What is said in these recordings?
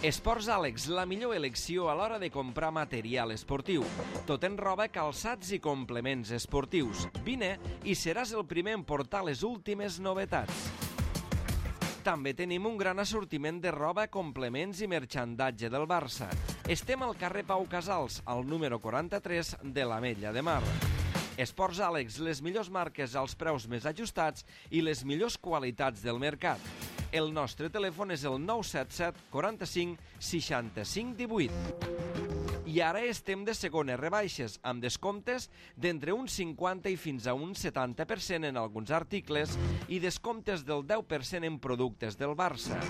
Esports Àlex, la millor elecció a l'hora de comprar material esportiu. Tot en roba, calçats i complements esportius. Vine i seràs el primer en portar les últimes novetats. També tenim un gran assortiment de roba, complements i merxandatge del Barça. Estem al carrer Pau Casals, al número 43 de l'Ametlla de Mar. Esports Àlex, les millors marques als preus més ajustats i les millors qualitats del mercat. El nostre telèfon és el 977 45 65 18. I ara estem de segones rebaixes, amb descomptes d'entre un 50 i fins a un 70% en alguns articles i descomptes del 10% en productes del Barça.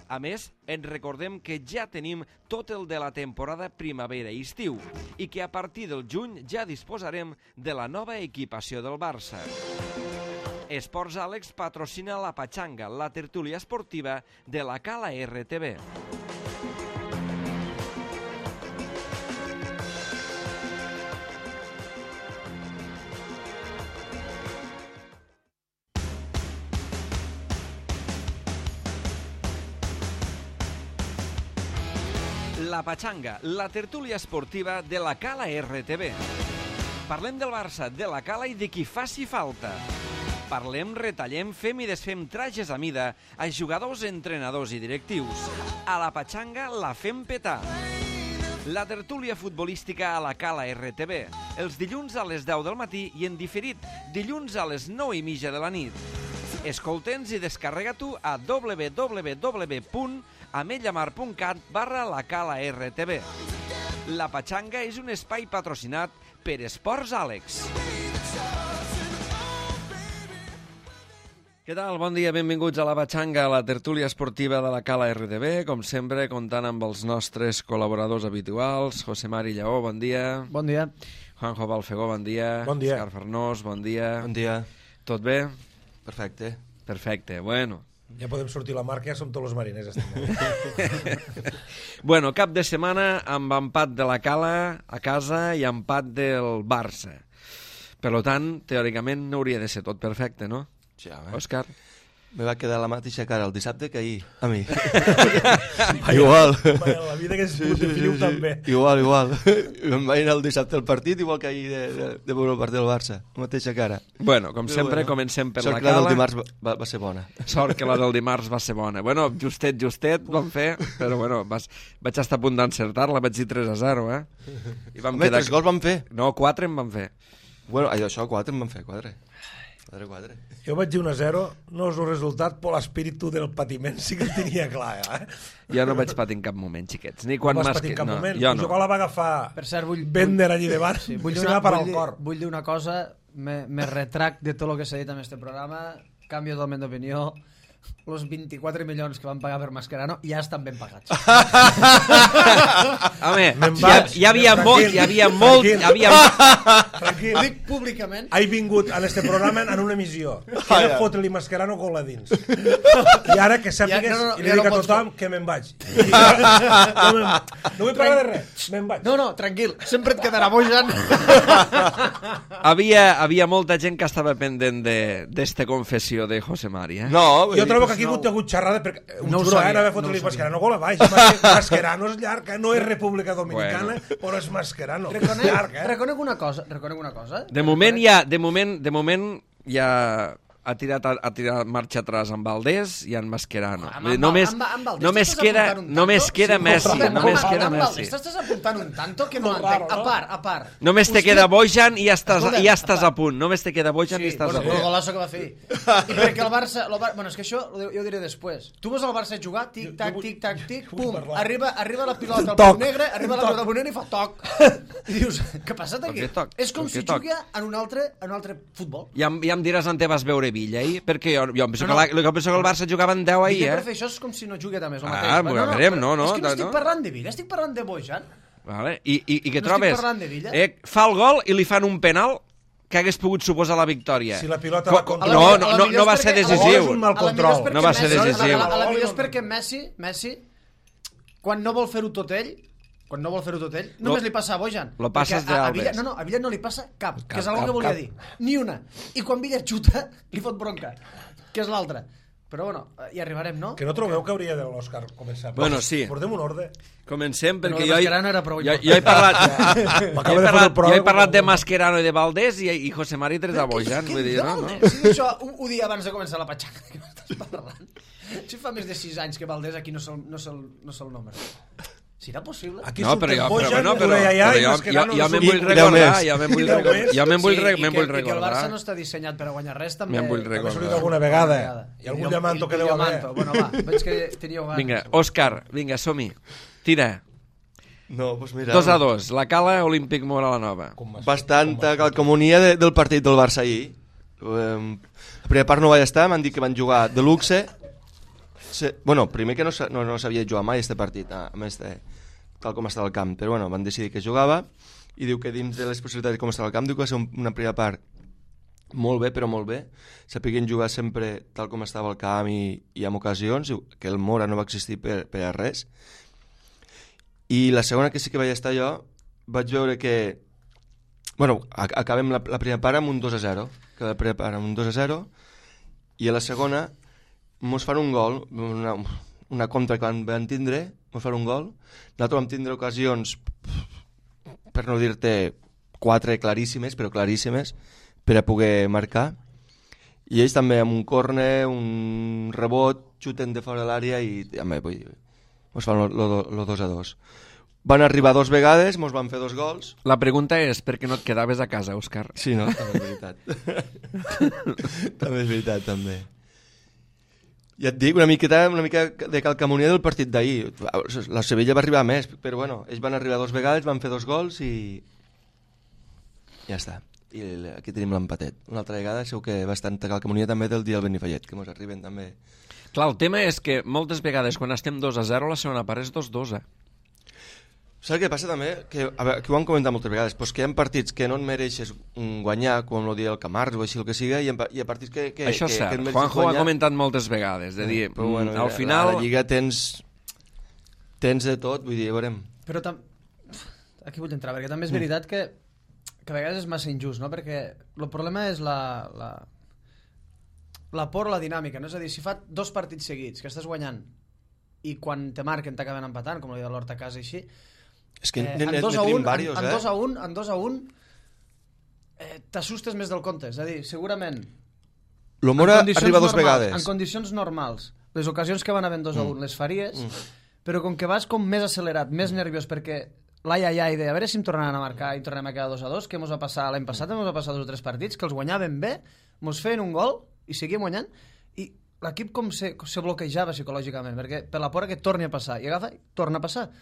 A més, ens recordem que ja tenim tot el de la temporada primavera i estiu i que a partir del juny ja disposarem de la nova equipació del Barça. Esports Àlex patrocina la Patxanga, la tertúlia esportiva de la Cala RTV. La Patxanga, la tertúlia esportiva de la Cala RTV. Parlem del Barça, de la Cala i de qui faci falta. Parlem, retallem, fem i desfem trajes a mida a jugadors, entrenadors i directius. A la Patxanga la fem petar. La tertúlia futbolística a la Cala RTV, els dilluns a les 10 del matí i en diferit dilluns a les 9:30 de la nit. Escolta'ns i descarrega-t'ho a www.ametllamar.cat/lacala-rtv. La Patxanga és un espai patrocinat per Esports Àlex. Què tal? Bon dia, benvinguts a la Patxanga, a la tertúlia esportiva de la Cala RTV, com sempre, comptant amb els nostres col·laboradors habituals. José Mari Lleó, bon dia. Bon dia. Juanjo Balfegó, bon dia. Bon dia. Òscar Farnós, bon dia. Bon dia. Tot bé? Perfecte. Perfecte, bueno. Ja podem sortir a la marca, ja som tots els mariners. Bueno, cap de setmana amb empat de la Cala a casa i empat del Barça. Per tant, teòricament no hauria de ser tot perfecte, no? Ja, Òscar? me va quedar la mateixa cara el dissabte que ahir, a mi. Igual. La vida que és feliu també. Igual. Em va anar el dissabte al partit, igual que ahir de veure el partit del Barça. La mateixa cara. Bueno, com sempre, comencem per la Cala. Sort que la del dimarts va ser bona. Sort que la del dimarts va ser bona. Bueno, justet vam fer, però bueno, vaig estar a punt d'encertar-la, vaig dir 3-0, eh? I vam Home, 3 gols vam fer. No, 4 en vam fer. Bueno, això, 4 en vam fer, 4. Jo vaig dir 1-0, no és un resultat, però l'espíritu del patiment sí que el tenia clar, eh? Jo no vaig patir en cap moment, xiquets. Ni quan no vas patir en cap moment? Jo no. La va agafar per cert, Bender allí davant, sí, vull dir una cosa, me retrac de tot el que s'ha dit en aquest programa, canvio totalment d'opinió. Els 24 milions que van pagar per Mascherano ja estan ben pagats. Home, hi havia molt... Tranquil. Dic públicament. He vingut a este programa en una emissió. Que era fotre-li Mascherano gol a dins. I ara que sàpigues, i li dic a tothom que me'n vaig. No vull parlar de res, me'n vaig. No, tranquil, sempre et quedarà bojant. Havia molta gent que estava pendent d'esta confessió de José Mari, eh? No, jo trobo que aquí ha hagut xerrada perquè no ho sabia, no va fotre-li Mascherano gol a baix. Mascherano és llarg, no és República Dominicana, però és Mascherano. Reconec una cosa. De moment ja ha tirat marxa atràs amb Valdés i en Mascherano. Només queda Messi. Estàs apuntant un tanto que no entenc. A part. Només te queda Bojan i ja estàs a punt. Només te queda Bojan i estàs a punt. El golazo que va fer. I perquè el Barça... Bueno, és que això jo ho diré després. Tu veus el Barça jugar, tic-tac, pum, arriba la pilota al punt negre, i fa toc. I dius, què ha passat aquí? És com si jugués en un altre futbol. Ja em diràs on te vas veure Villa ahir, perquè jo penso que el Barça jugava en 10 ahir, eh? Això és com si no jugués també, és el mateix. No. És que no estic parlant de Villa, estic parlant de Bojan. Vale. I què trobes? No estic parlant de Villa. Fa el gol i li fan un penal que hagués pogut suposar la victòria. Si la pilota va contra... No va ser decisiu. No va ser decisiu. A la millor és perquè Messi, quan no vol fer-ho tot ell, només li passa a Bojan. Lo passes de Alves. A Villa no li passa cap, que és una que volia dir. Ni una. I quan Villa xuta, li fot bronca, que és l'altra. Però bueno, hi arribarem, no? Que no trobeu que hauria de l'Òscar començar? Bueno, sí. Portem un ordre. Comencem, perquè Però Mascherano era prou jo he parlat... M'acaba de fotre el programa. Jo he parlat de Mascherano i de Valdés i José Mari tres a Bojan. Vull dir, no? Si això ho dia abans de començar la patxaca, que m'estàs parlant. Si fa més de 6 anys que Valdés aquí no se'l nombre. Serà possible? Aquí no, però jo me'n vull recordar. I que el Barça no està dissenyat per a guanyar res, també. Me'n vull També s'ha recordar. alguna vegada. I algun diamanto que deu haver. Bueno, va, veig que teníeu ganes. Vinga, Òscar, vinga, som-hi. Tira. No, doncs mira... 2-2, la Cala Olímpic Mora la Nova. Bastanta calcomonia del partit del Barça ahir. La primera part no vaig estar, m'han dit que van jugar de luxe. Bueno, primer que no sabia jugar mai este partit, a més de tal com estava el camp, però bueno, van decidir que jugava i diu que dins de les possibilitats de com estava el camp diu que va ser una primera part molt bé, però molt bé, sapiguin jugar sempre tal com estava el camp i amb ocasions, que el Mora no va existir per a res. I la segona, que sí que vaig estar jo, vaig veure que bueno, acabem la primera part amb un 2-0, que la primera part amb un 2-0 i a la segona mos fan un gol, una contra que van tindre, mos fan un gol. Nosaltres vam tindre ocasions, per no dir-te 4 claríssimes, però claríssimes, per a poder marcar. I ells també amb un córner, un rebot, xuten de fora de l'àrea i mos fan el 2-2. Van arribar 2 vegades, mos van fer 2 gols. La pregunta és per què no et quedaves a casa, Òscar? Sí, no? També és veritat. També és veritat, també. Ja et dic, una mica de calcamonia del partit d'ahir. La Sevilla va arribar més, però bueno, ells van arribar 2 vegades, van fer 2 gols i ja està. I aquí tenim l'empatet. Una altra vegada segur que bastanta calcamonia també del dia del Benifallet, que mos arriben també. Clar, el tema és que moltes vegades quan estem 2-0 la segona part és 2-2. Saps què passa també? Que, a veure, que ho han comentat moltes vegades, doncs que hi ha partits que no et mereixes guanyar, com el dia del Camarles o així el que siga, i hi ha partits que això és cert, que Juanjo ho ha comentat moltes vegades, de dir, però bueno, al final... A la Lliga tens de tot, vull dir, veurem. Però aquí vull entrar, perquè també és veritat que a vegades és massa injust, no? Perquè el problema és la por, la dinàmica, no? És a dir, si fa 2 partits seguits que estàs guanyant i quan te marquen t'acaben empatant, com el dia de l'Horta a casa i així, és que en 2-1 t'assustes més del compte, és a dir, segurament el Mora arriba 2 vegades en condicions normals, les ocasions que van havent 2-1 les faries, però com que vas com més accelerat, més nerviós, perquè l'ai de a veure si em tornaran a marcar i tornem a quedar 2-2, que mos va passar l'any passat, mos va passar 2 o 3 partits que els guanyaven bé, mos feien un gol i seguíem guanyant i l'equip com se bloquejava psicològicament, perquè per la por que torni a passar i agafa i torna a passar.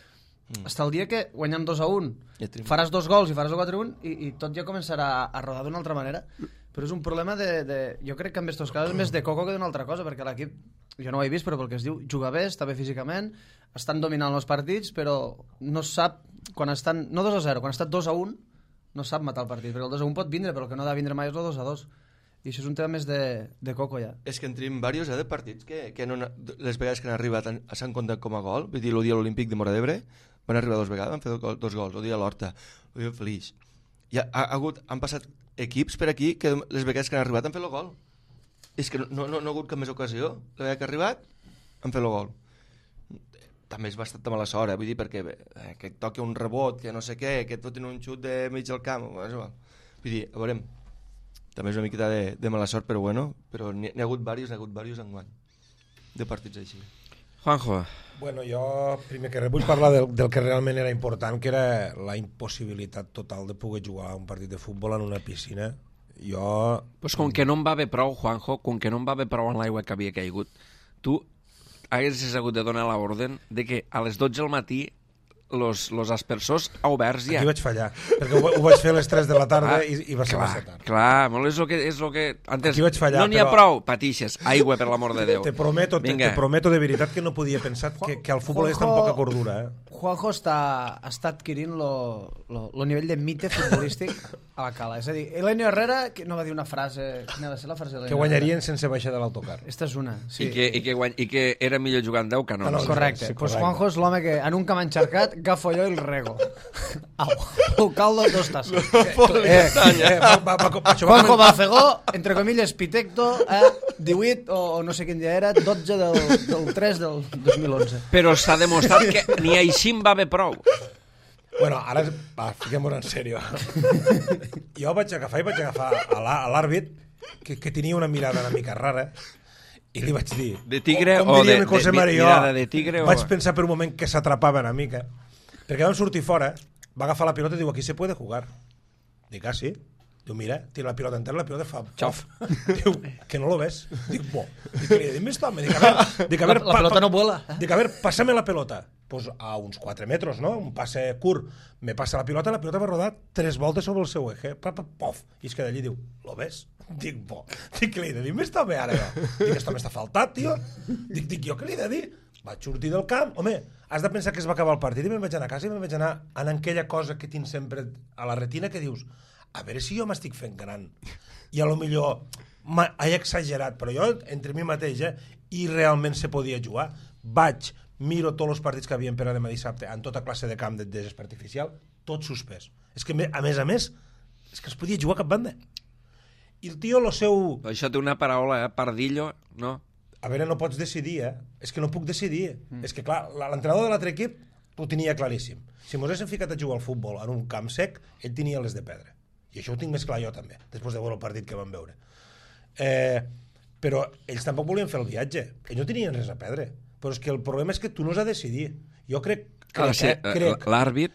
Hasta el dia que guanyem 2-1 faràs 2 gols i faràs 4-1 i tot ja començarà a rodar d'una altra manera, però és un problema jo crec que en aquests casos és més de coco que d'una altra cosa, perquè l'equip, jo no ho he vist, però pel que es diu, juga bé, està bé físicament, estan dominant els partits, però no sap, quan estan, no 2-0, quan ha estat 2-1 no sap matar el partit, perquè el 2-1 pot vindre, però el que no ha de vindre mai és el 2-2. I això és un tema més de coco ja. És que en tenim diversos de partits que no, les vegades que han arribat s'han comptat com a gol. Vull dir, el dia olímpic de Móra d'Ebre van arribar 2 vegades, van fer 2 gols. El dia de l'Horta, el dia Flix. Han passat equips per aquí que les vegades que han arribat han fet el gol. És que no ha hagut cap més ocasió. La vegada que ha arribat han fet el gol. També és bastant mala sort, vull dir, perquè que et toqui un rebot, que no sé què, que et fotin un xut de mig del camp. Vull dir, a veurem. També és una miqueta de mala sort, però bueno, però n'hi ha hagut diversos enguany de partits així. Juanjo. Bueno, jo primer que res vull parlar del que realment era important, que era la impossibilitat total de poder jugar un partit de futbol en una piscina. Pues com que no em va bé prou, Juanjo, com que no em va bé prou en l'aigua que havia caigut, tu haguessis hagut de donar l'ordre de que a les 12 del matí los aspersors oberts ja. Aquí vaig fallar, perquè ho vaig fer a les 3 de la tarda i va ser massa tard. Clar, molt és el que antes aquí vaig fallar, no n'hi ha prou, patixes, aigua per l'amor de Déu. Te prometo de veritat que no podia pensar que al futbol és tan poca cordura. Juanjo està adquirint el nivell de mite futbolístic a la cala. És a dir, Elenio Herrera no va dir una frase... Quina va ser la frase d'Elenio Que guanyarien sense baixar de l'autocar. Esta és una, sí. I que era millor jugant 10 que no. Correcte. Pues Juanjo és l'home que en un camp encharcat agafo jo i el rego. Au, caldo, 2 tasses. Juanjo Bafegó, entre comilles, Pitecto, 18, o no sé quin dia era, 12 del 3 del 2011. Però s'ha demostrat que ni així em va bé prou. Bueno, ara fiquem-nos en sèrio. Jo vaig agafar a l'àrbit, que tenia una mirada una mica rara, i li vaig dir... De tigre o de mirada de tigre o... Vaig pensar per un moment que s'atrapava una mica, perquè vam sortir fora, va agafar la pilota i diu, aquí se puede jugar. Dic, sí? Diu, mira, tira la pilota entera, la pilota fa... Xof. Diu, que no lo ves? Dic, bo. Dic, més home. Dic, a ver, la pelota no vuela. Dic, a ver, pásame la pelota. Pues a uns 4 metres, no? Un passe curt. Me passa la pilota va rodar 3 voltes sobre el seu eje. Pof. I es queda allí i diu, lo ves? Dic, bo. Dic, què li he de dir? M'està bé ara, jo. Dic, esto m'està faltat, tio. Dic, jo què li he de dir? Vaig sortir del camp. Home, has de pensar que es va acabar el partit i me'n vaig anar a casa i me'n vaig anar en aquella cosa que tinc sempre a la retina que dius, a veure si jo m'estic fent gran. I a lo millor he exagerat, però jo, entre mi mateix, i realment se podia jugar. Miro tots els partits que havien per a demà dissabte en tota classe de camp de gespa artificial, tot suspès. És que, a més, és que es podia jugar a cap banda. I el tio, el seu... Això té una paraula, pardillo, no? A veure, no pots decidir, És que no puc decidir. És que, clar, l'entrenador de l'altre equip ho tenia claríssim. Si mos haguéssim ficat a jugar al futbol en un camp sec, ell tenia les de pedra. I això ho tinc més clar jo també, després de veure el partit que vam veure. Però ells tampoc volien fer el viatge. Ells no tenien res a perdre. Però és que el problema és que tu no has de decidir. Jo crec l'àrbit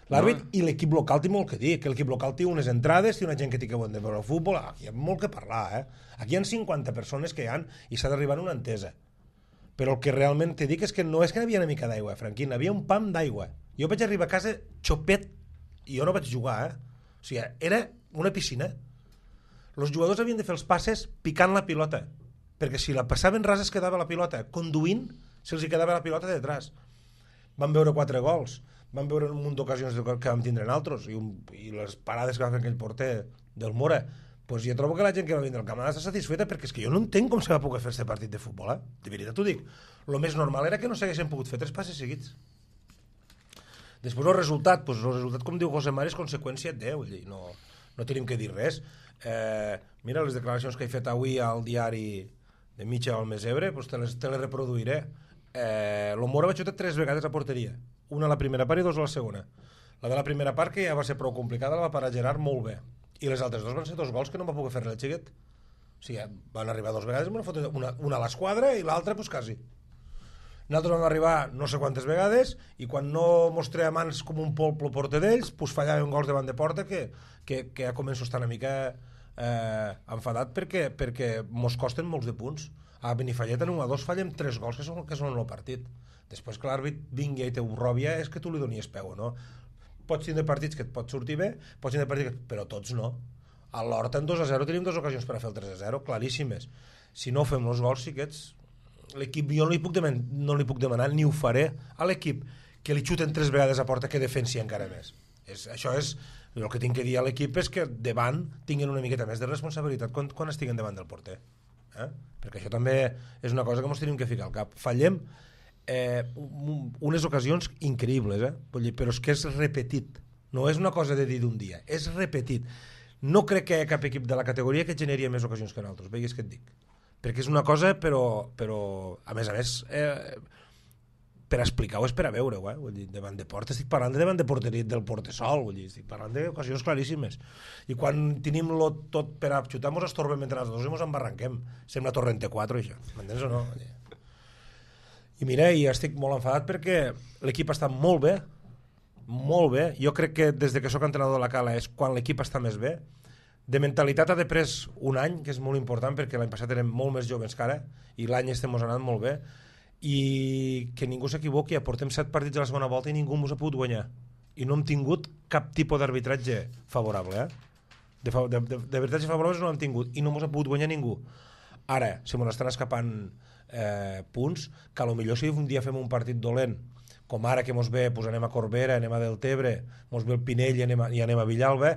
i l'equip local té molt que dir, que l'equip local té unes entrades, té una gent que té que veure el futbol, aquí hi ha molt que parlar, Aquí hi ha 50 persones que hi ha i s'ha d'arribar a una entesa. Però el que realment te dic és que no és que hi havia una mica d'aigua, Franquín, hi havia un pam d'aigua. Jo vaig arribar a casa xopet i jo no vaig jugar, O sigui, era una piscina. Els jugadors havien de fer els passes picant la pilota, perquè si la passaven ras es quedava la pilota. Conduint, se'ls quedava la pilota detrás. Van veure 4 gols, van veure un munt d'ocasions que vam tindre en altres, i les parades que va fer aquell porter del Mora. Pues jo trobo que la gent que va vindre al camp està satisfeta, perquè és que jo no entenc com se va poder fer aquest partit de futbol, De veritat t'ho dic. El més normal era que no s'haguessin pogut fer 3 passes seguits. Després el resultat, com diu José Mari, és conseqüència de, no tenim que dir res. Mira, les declaracions que he fet avui al diari de Mitja Almesebre, te les reproduiré. El Mora va xutar 3 vegades a porteria, una a la primera part i 2 a la segona. La de la primera part, que ja va ser prou complicada, la va parar Gerard molt bé, i les altres 2 van ser 2 gols que no va poder fer-ne el xiquet. O sigui, van arribar 2 vegades, una a l'esquadra i l'altra pues quasi. Nosaltres vam arribar no sé quantes vegades i quan no mostrem mans com un polp el porter d'ells, pues fallaven gols davant de porta que ja començo a estar una mica enfadat perquè mos costen molts de punts. A Benifallet en 1-2 fallem 3 gols que són el partit. Després que l'àrbit vingui i te ho robia és que tu li donies peu, no? Pots tindre partits que et pot sortir bé, però tots no. A l'Horta en 2-0 tenim 2 ocasions per a fer el 3-0, claríssimes. Si no fem els gols, sí que ets... L'equip, jo no li puc demanar, ni ho faré a l'equip que li xuten 3 vegades a porta que defensi encara més. Això és el que tinc que dir a l'equip, és que davant tinguin una miqueta més de responsabilitat quan estiguen davant del porter, perquè això també és una cosa que ens tenim que ficar al cap. Fallem unes ocasions increïbles, però és que és repetit, no és una cosa de dir d'un dia, és repetit. No crec que hi ha cap equip de la categoria que generi més ocasions que nosaltres, veigues què et dic, perquè és una cosa, però a més per explicar-ho és per a veure-ho, vull dir, davant de porta estic parlant davant de porteria del portesol, vull dir, estic parlant d'ocasions claríssimes, i quan tenim-lo tot per a xutar mos estorbem entre els dos i mos embarranquem, sembla Torrente 4 això, m'entens o no? I mira, i estic molt enfadat perquè l'equip està molt bé, jo crec que des que soc entrenador de la Cala és quan l'equip està més bé. De mentalitat ha de pres un any, que és molt important perquè l'any passat érem molt més joves que ara i l'any estem anant molt bé, i que ningú s'equivoqui, portem 7 partits a la segona volta i ningú ens ha pogut guanyar i no hem tingut cap tipus d'arbitratge favorable, de arbitratge favorable no l'hem tingut i no ens ha pogut guanyar ningú. Ara, se m'estan escapant punts que potser si un dia fem un partit dolent com ara que mos ve, doncs anem a Corbera, anem a Deltebre, mos ve el Pinell i anem a Villalba,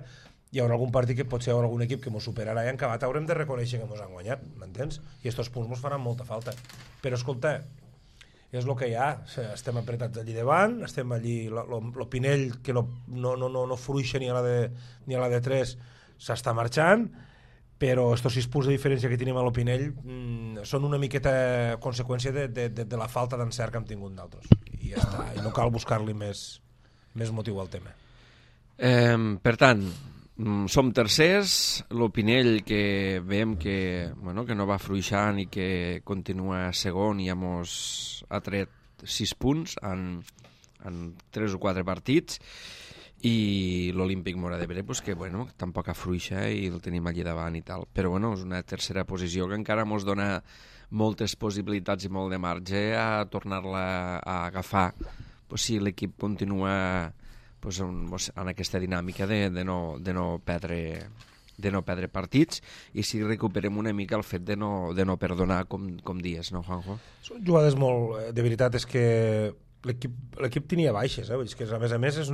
hi haurà algun partit que potser hi haurà algun equip que mos superarà i en acabat haurem de reconèixer que mos han guanyat, m'entens? I estos punts mos faran molta falta. Però escolta, és el que hi ha, estem apretats allí davant, estem allí, el Pinell que no fruixa ni a la de 3 s'està marxant, però estos 6 punts de diferència que tenim a l'Opinell són una miqueta conseqüència de la falta d'encert que hem tingut d'altres. I ja està, i no cal buscar-li més motiu al tema. Per tant, som tercers, l'Opinell que veiem que no va fluixant i que continua segon i ja mos ha tret 6 punts en 3 o 4 partits, i l'Olímpic Móra d'Ebre que tampoc afluixa i el tenim allí davant i tal, però és una tercera posició que encara ens dona moltes possibilitats i molt de marge a tornar-la a agafar si l'equip continua en aquesta dinàmica de no perdre partits, i si recuperem una mica el fet de no perdonar, com dies, no, Juanjo? Són jugades molt... De veritat és que l'equip tenia baixes, és que a més és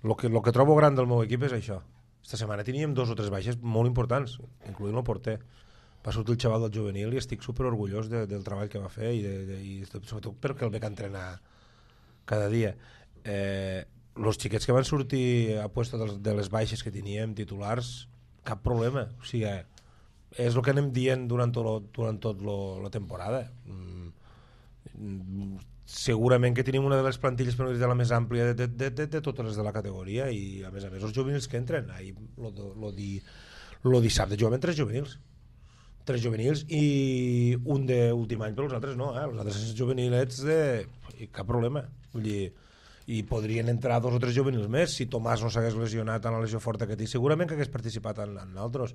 lo que trobo gran del meu equip és això. Esta setmana teníem 2 o 3 baixes molt importants, incloent el porter. Va sortir el xaval del juvenil i estic super orgullós del treball que va fer i sobretot perquè el veig entrenar cada dia. Els xiquets que van sortir a puesto de les baixes que teníem titulars, cap problema, o sigui, és el que anem dient durant tot la temporada. Segurament que tenim una de les plantilles, per no dir, de la més àmplia de totes les de la categoria, i a més els juvenils que entren lo dissabte jugàvem 3 juvenils i un d'últim any, però els altres no, els altres juvenilets cap problema, vull dir, i podrien entrar 2 o 3 juvenils més si Tomàs no s'hagués lesionat en la lesió forta que té, segurament que hagués participat en altres.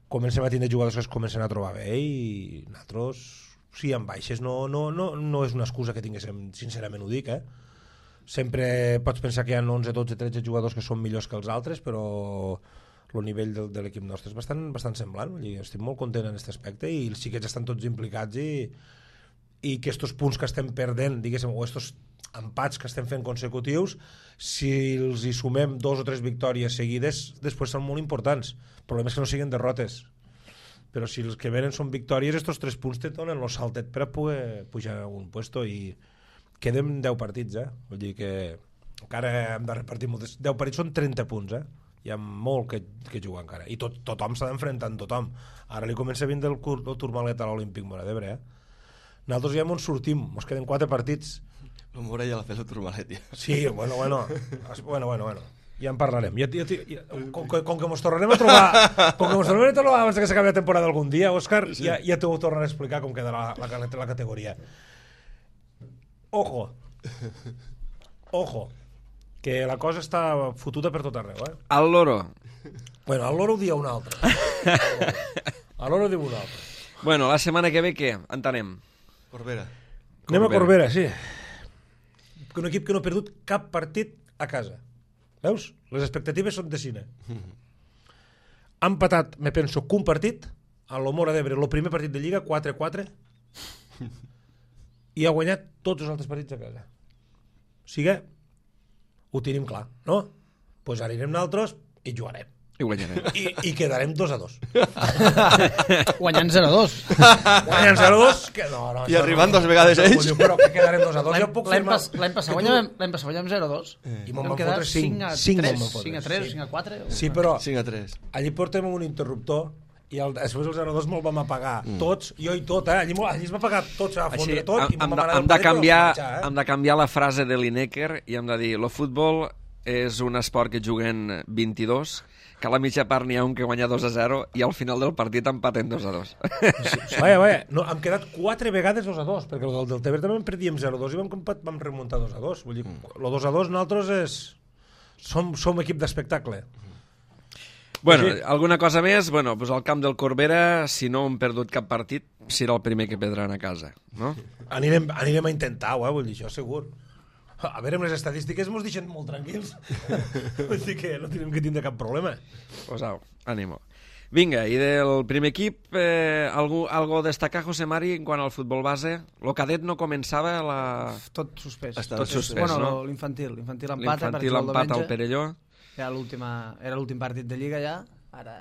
Comencem a tindre jugadors que es comencen a trobar bé i nosaltres, sí, amb baixes no és una excusa que tinguéssim, sincerament ho dic, sempre pots pensar que hi ha 11, 12, 13 jugadors que són millors que els altres, però el nivell de l'equip nostre és bastant semblant, estic molt content en aquest aspecte i els xiquets estan tots implicats i que estos punts que estem perdent, diguéssim, o estos empats que estem fent consecutius, si els hi sumem 2 o 3 victòries seguides, després són molt importants. El problema és que no siguin derrotes, però si els que venen són victòries, estos 3 punts te donen el saltet per a poder pujar a un puesto, i quedem 10 partits, vull dir que encara hem de repartir moltes. 10 partits són 30 punts, hi ha molt que jugar encara, i tothom s'ha d'enfrontar amb tothom. Ara li comença a vindre el Turmalet a l'Olímpic Móra d'Ebre, nosaltres ja ens sortim, ens queden 4 partits. El Móra ja l'ha fet el Turmalet, ja. Sí, bueno, ja en parlarem. Com que mos tornarem a trobar abans que s'acabi la temporada algun dia, Òscar, sí. ja t'ho tornaré a explicar com queda la categoria. Ojo, que la cosa està fotuda per tot arreu, Al loro. Bueno, al loro ho dia un altre. Al loro diu un altre. Bueno, la setmana que ve què? Entenem. Corbera. Anem a Corbera, sí. Un equip que no ha perdut cap partit a casa. Veus? Les expectatives són de cine. Ha empatat, me penso, que un partit a l'Omora d'Ebre, el primer partit de Lliga, 4-4, i ha guanyat tots els altres partits a casa. O sigui, ho tenim clar, no? Doncs ara anirem nosaltres i jugarem. I guanyarem. I quedarem 2-2. Guanyant 0-2. Guanyant 0-2? I arribant 2 vegades ells. Però que quedarem 2-2. L'any passat guanyàvem 0-2. I m'ho van fotre 5-3, 5-3, 5-4. Sí, però 5-3. allí portem un interruptor i després el 0-2 me'l vam apagar tots, jo i tot, allí es va apagar tot, se va fondre tot, i me'l vam anar hem de canviar la frase de Lineker i hem de dir, el futbol és un esport que juguen 22, que a la mitja part n'hi ha un que guanya 2-0 i al final del partit empaten 2-2. Vaja, no, hem quedat 4 vegades 2-2, perquè el del Teber també en perdíem 0-2 i vam remuntar 2-2. Vull dir, el 2-2 nosaltres som equip d'espectacle. Bueno, alguna cosa més? Bueno, doncs al camp del Corbera, si no hem perdut cap partit, serà el primer que perdran a casa, no? Anirem a intentar-ho, vull dir, això segur. A veure, amb les estadístiques mos deixen molt tranquils. Vull dir que no tenim que tindre cap problema. Pues au, ànimo. Vinga, i del primer equip, algo a destacar, José Mari, en quant al futbol base? El cadet no començava Tot suspès. Estava suspès, Bueno, no? L'infantil empata. L'infantil empat al Perelló. Era l'últim partit de Lliga ja. Ara,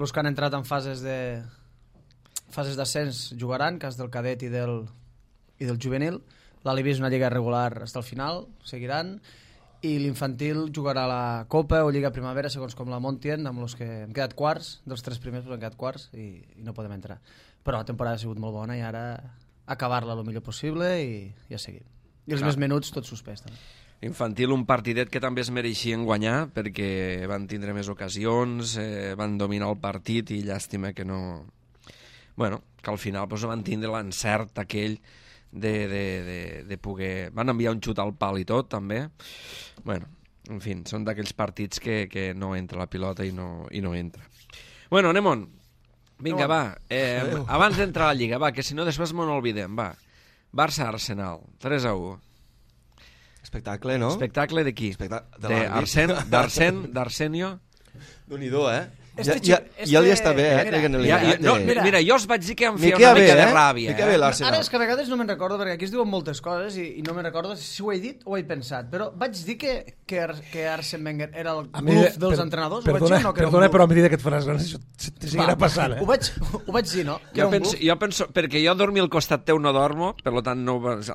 els que han entrat en fases d'ascens jugaran, cas del cadet i del juvenil. L'Alibi és una lliga regular fins al final, seguiran. I l'infantil jugarà la Copa o Lliga Primavera, segons com la muntin, amb els que hem quedat quarts, dels 3 primers hem quedat quarts i no podem entrar. Però la temporada ha sigut molt bona i ara acabar-la el millor possible i a seguir. I els més menuts, tot suspès. També. Infantil, un partidet que també es mereixien guanyar perquè van tindre més ocasions, van dominar el partit i llàstima que no... Bueno, que al final doncs, van tindre l'encert aquell de poder... Van enviar un xut al pal i tot, també. Bueno, en fi, són d'aquells partits que no entra la pilota i no entra. Bueno, anem on. Vinga, va. Abans d'entrar a la Lliga, va, que si no després m'ho n'olvidem, va. Barça-Arsenal, 3-1. Espectacle, no? Espectacle de qui? D'Arsenio? Déu-n'hi-do, Ja li està bé, Mira, jo us vaig dir que em feia una mica de ràbia. Ara és que a vegades no me'n recordo, perquè aquí es diuen moltes coses i no me'n recordo si ho he dit o ho he pensat, però vaig dir que Arsène Wenger era el bluff dels entrenadors? Perdona, però a mesura que et faràs gran, això te seguirà passant. Ho vaig dir, no? Jo penso, perquè jo dormir al costat teu no dormo, per tant,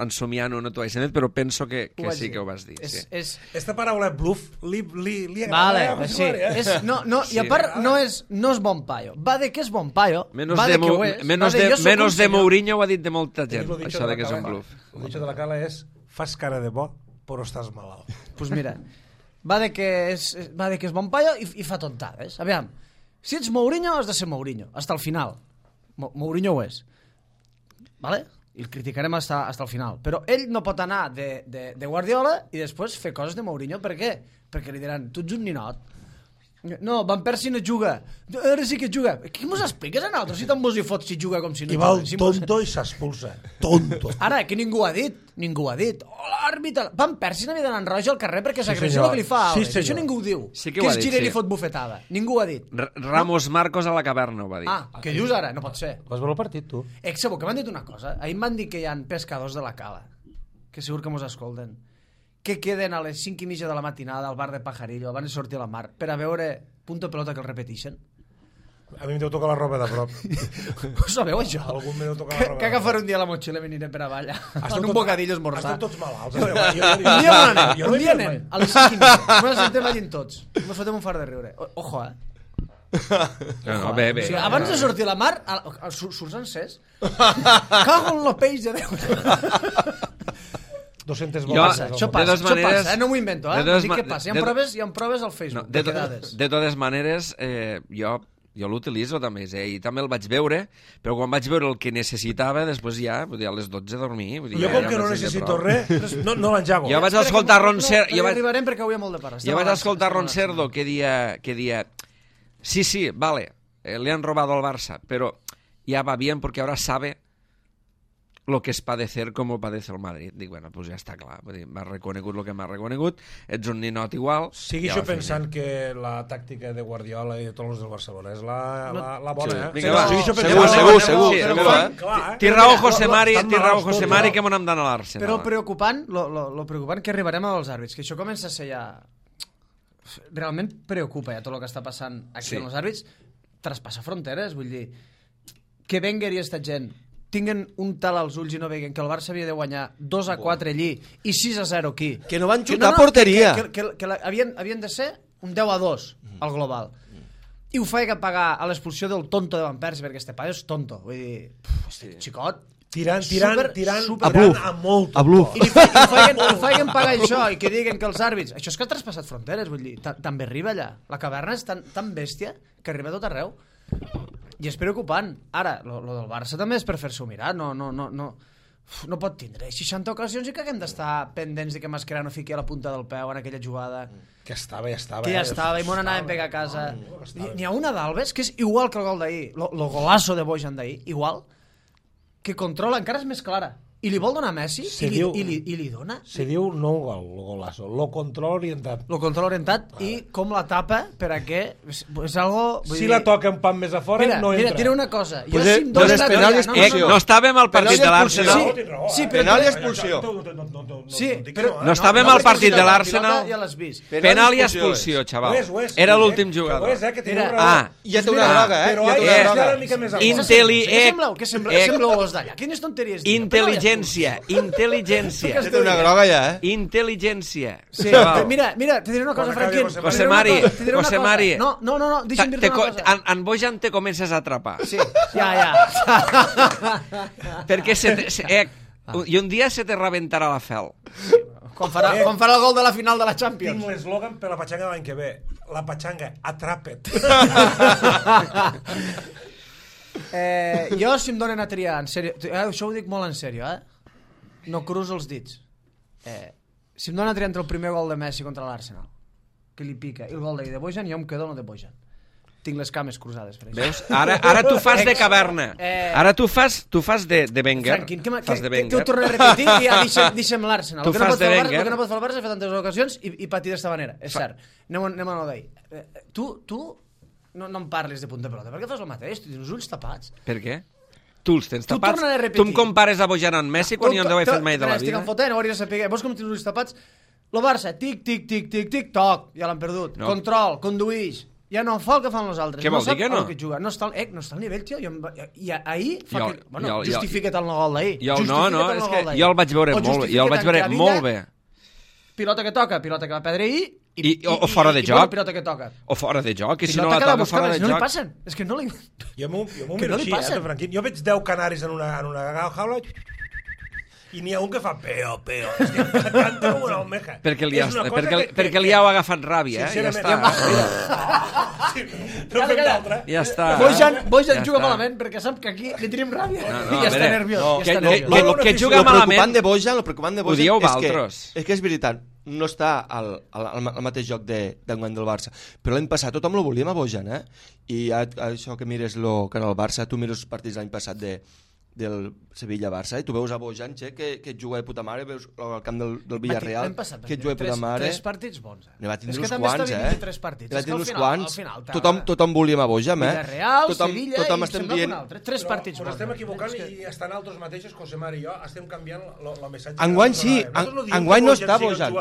ensomiant-ho no t'ho vaig dir, però penso que sí que ho vas dir. Esta paraula bluff li agrada. Vale, sí. I a part, no és bon paio. Va de que és bon paio, menos va de que ho és. Menos de Mourinho ho ha dit de molta gent, això de que és un bluff. El dicho de la Cala és fas cara de bo, però estàs malalt. Pues mira, va de que és bon paio i fa tontades. Aviam, si ets Mourinho has de ser Mourinho, hasta el final. Mourinho ho és. Vale? I el criticarem hasta el final. Però ell no pot anar de Guardiola i després fer coses de Mourinho. Per què? Perquè li diran, tu ets un ninot. No, Van Persie no juga. Ara sí que juga. Què mos expliques a nosaltres si tant mos hi fots si juga com si no juga? I va el tonto i s'expulsa. Tonto. Ara, que ningú ha dit. Ningú ha dit. Oh, l'àrbitre. Van Persie n'havia d'anar en roja al carrer perquè s'agressió el que li fa a Alves. Això ningú ho diu. Sí que es gira i li fot bufetada. Ningú ho ha dit. Ramos Marcos a la caverna ho va dir. Què dius ara? No pot ser. Vas veure el partit, tu? Sabeu que m'han dit una cosa? Ahir em van dir que hi ha pescadors de la Cala, que segur que mos escolten, que queden a les 5:30 de la matinada al bar de Pajarillo, van a sortir a la mar, per a veure punto pelota que el repeteixen. A mi em deu tocar la roba de prop. Ho sabeu, això? Algun me deu tocar la roba. Que agafaré un dia la motxilla i m'aniré per avall. En un bocadillo esmorzar. Estem tots malalts. Un dia anem, a les 5:30. Ens sentem allí tots. Ens fotem un far de riure. Ojo, No, bé. O sigui, abans de sortir a la mar, surts encès. Cago en el peix de Déu. 200 voltes. Això passa, no m'ho invento, dic que passa. Hi ha proves al Facebook. De totes maneres, jo l'utilitzo també, i també el vaig veure, però quan vaig veure el que necessitava, després ja, a les 12 a dormir. Jo com que no necessito res, no l'enjago. Jo vaig escoltar Ron Cerdo. Jo arribarem perquè avui hi ha molt de parra. Jo vaig escoltar Ron Cerdo que dia sí, vale, le han robado al Barça, pero ya va bien porque ahora sabe lo que es padecer como padece el Madrid. Dic, bueno, pues ja està clar. M'ha reconegut el que m'ha reconegut. Ets un ninot igual. Sigui això pensant que la tàctica de Guardiola i de tots els del Barcelona és la bona, Segur. Té raó José Mari que m'ho hem d'anar a l'Arsenal. Però lo preocupant que arribarem als àrbits, que això comença a ser ja... Realment preocupa ja tot el que està passant aquí amb els àrbits. Traspassa fronteres, vull dir... Que Wenger i esta gent tinguen un tal als ulls i no veguen que el Barça havia de guanyar 2-4 allí i 6-0 aquí. Que no van xutar porteria. Que havien de ser un 10-2 al global. I ho feia que pagar a l'expulsió del tonto de Van Persie, perquè este paio és tonto. Vull dir, xicot... Tirant a molt. A bluff. I ho feien pagar això i que diguen que els àrbits... Això és que ha traspassat fronteres, vull dir, també arriba allà. La caverna és tan bèstia que arriba a tot arreu. I és preocupant. Ara, lo del Barça també és per fer-s'ho mirar. No pot tindre 60 ocasions i que haguem d'estar pendents de que Mascherano fiqui a la punta del peu en aquella jugada. Que estava. Que ja estava, i m'on anàvem a pegar a casa. N'hi ha una d'Alves que és igual que el gol d'ahir. Lo golazo de Bojan d'ahir, igual, que controla, encara és més clara. i li vol donar a Messi i li dona. Se diu no un golazo, lo control orientat. Lo control orientat i com la tapa per a què és algo... Si la toca un pan més a fora, no entra. Mira, diré una cosa. Pues és penal i expulsió. No estàvem al partit de l'Arsenal. Sí, penal i expulsió. Sí, però... No estàvem al partit de l'Arsenal. Ja l'has vist. Penal i expulsió, xaval. Era l'últim jugador. Ja té una groga, Però ja una mica més a Què sembleu els d'allà? Quines tonteries dius? Intel·ligència. Ja té una groga ja, Intel·ligència. Sí, mira, te diré una cosa, Franquín. José Mari. No, deixa'm dir-te una cosa. En Bojan te comences a atrapar. Sí, ja. Perquè i un dia se te rebentarà la fel. Quan farà el gol de la final de la Champions. Tinc l'eslògan per la patxanga de l'any que ve. La patxanga, atrapa't. Jo, si em donen a triar, en sèrio, això ho dic molt en sèrio, no cruzo els dits. Si em donen a triar entre el primer gol de Messi contra l'Arsenal, que li pica, i el gol de Bojan, jo em quedo amb el de Bojan. Tinc les cames cruzades, per això. Veus? Ara tu fas de caverna. Ara tu fas de Wenger. Franquín, que ho torno a repetir i ja deixem l'Arsenal. Tu fas de Wenger. El que no pot fer el Barça fer tantes ocasions i patir d'esta manera. És cert. Anem a no d'ahir. Tu no em parlis de punta pelota. Per què fas el mateix? Tu tens els ulls tapats. Per què? Tu els tens tapats? torna a repetir. Tu em compares a Bojan amb Messi quan jo no ho he fet mai de la vida? Estic enfotent, ho hauries de saber. Vols com tens els ulls tapats? El Barça, tic, toc, ja l'han perdut. Control, conduïix. Ja no fa el que fan els altres. Què vol dir que no? No està al nivell, tio. I ahir justifica't el gol d'ahir. No, és que jo el vaig veure molt bé. Pilota que toca, pilota que va perdre ahir o fora de joc. Pilota que toca. O fora de joc, i si no la toca fora de joc. No li passen. És que no li... Jo m'ho miro així, Franquín. Jo veig 10 canaris en una jaula i n'hi ha un que fa peo. És que canta com una almeja. Perquè li heu agafat ràbia, ja està. No fem d'altra. Ja està. Bojan juga malament perquè sap que aquí li tenim ràbia. I ja està nerviós. Que juga malament... El preocupant de Bojan ho dieu vosaltres. És que és veritat, no està al mateix joc d'enguany del Barça. Però l'any passat tothom lo volíem a Bojan, I això que mires el canal Barça, tu mires els partits l'any passat del Sevilla-Barça, i tu veus a Bojan, que juga de puta mare, veus al camp del Villarreal, que juga de puta mare. 3 partits bons, Ne va tindre uns quants, Ne va tindre uns quants. Tothom volíem a Bojan, Villarreal, Sevilla, i sembla un altre. 3 partits bons. Però estem equivocant i estan altres mateixos, José Mari i jo, estem canviant el missatge. Enguany sí, enguany no està Bojan.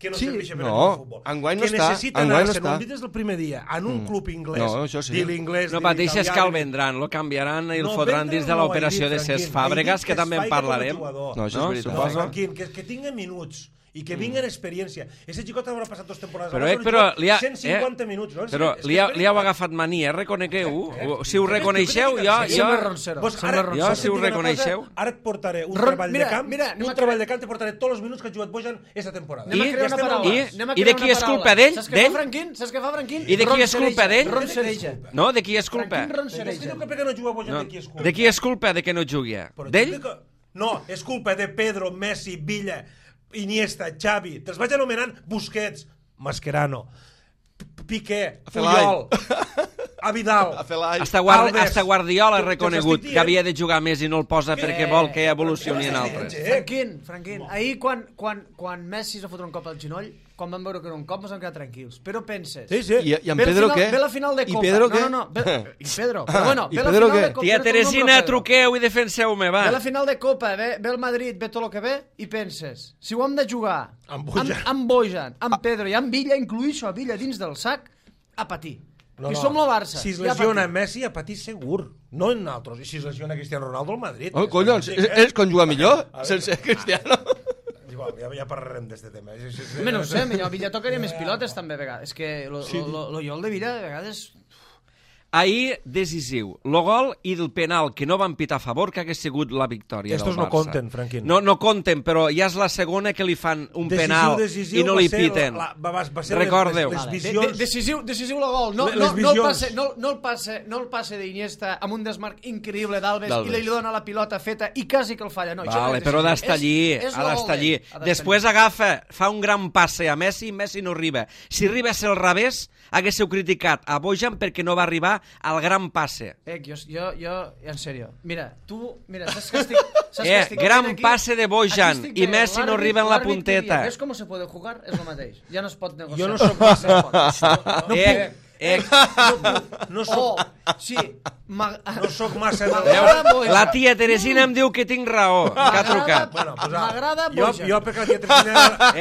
Que no serveixi per el futbol. Enguany no està. Que necessita anar-se, no ho dit des del primer dia, en un club inglès, dir l'inglès, no pateixes que el vendran, lo canviaran i el fotran dins de l'operació de Cesc Fàbregas, que també en parlarem. No, això és veritat. Suposo. Que tingui minuts i que vinguen experiència. Ese xicot haurà passat 2 temporades. Però 150 minuts, no? Però li heu agafat mania, reconegueu-ho. Si ho reconeixeu, jo... Si ho reconeixeu... Ara et portaré un treball de camp, te portaré tots els minuts que ha jugat Bojan aquesta temporada. I de qui és culpa d'ell? Saps què fa Franquín? I de qui és culpa d'ell? Roncereja. No, de qui és culpa? De qui és culpa de que no jugui? D'ell? No, és culpa de Pedro, Messi, Villa, Iniesta, Xavi, te'ls vaig anomenant Busquets, Mascherano, Piqué, Puyol, a Vidal, hasta Guardiola ha reconegut que havia de jugar més i no el posa perquè vol que evolucioni en altres. Franquín, ahir quan Messi es va fotre un cop al genoll, quan vam veure que era un cop ens vam quedar tranquils, però penses... I en Pedro què? Ve la final de Copa. I Pedro què? I Pedro, però bueno, ve la final de Copa. Tia Teresina, truqueu i defenseu-me, va. Ve la final de Copa, ve el Madrid, ve tot el que ve, i penses, si ho hem de jugar amb Bojan, amb Pedro i amb Villa, incluïixo a Villa dins del sac, a patir. I som el Barça. Si es lesiona Messi, a patir segur. No en altres. I si es lesiona Cristiano Ronaldo, el Madrid. Oh, collons, és quan juga millor, sense Cristiano. Ja parlarem d'este tema. No sé, millor Villa tocaria més pilotes també a vegades. És que el gol de Villa de vegades... Ahir, decisiu. El gol i el penal que no van pitar a favor, que hagués sigut la victòria del Barça. Estos no compten, Franquín. No compten, però ja és la segona que li fan un penal i no li piten. Recordeu. Decisiu el gol. No el passe d'Iniesta amb un desmarc increïble d'Alves i li dona la pilota feta i quasi que el falla. Vale, però ha d'estar allí. Després agafa, fa un gran passe a Messi i Messi no arriba. Si arribés al revés, haguéssiu criticat a Bojan perquè no va arribar al gran passe. Jo, en sèrio. Mira, saps que estic... Gran passe de Bojan i Messi no arriba en la punteta. ¿Ves cómo se puede jugar? És el mateix. Ja no es pot negociar. Jo no soc massa... No soc... Sí. No soc massa... La tia Teresina em diu que tinc raó, que ha trucat. M'agrada Bojan. Jo perquè la tia Teresina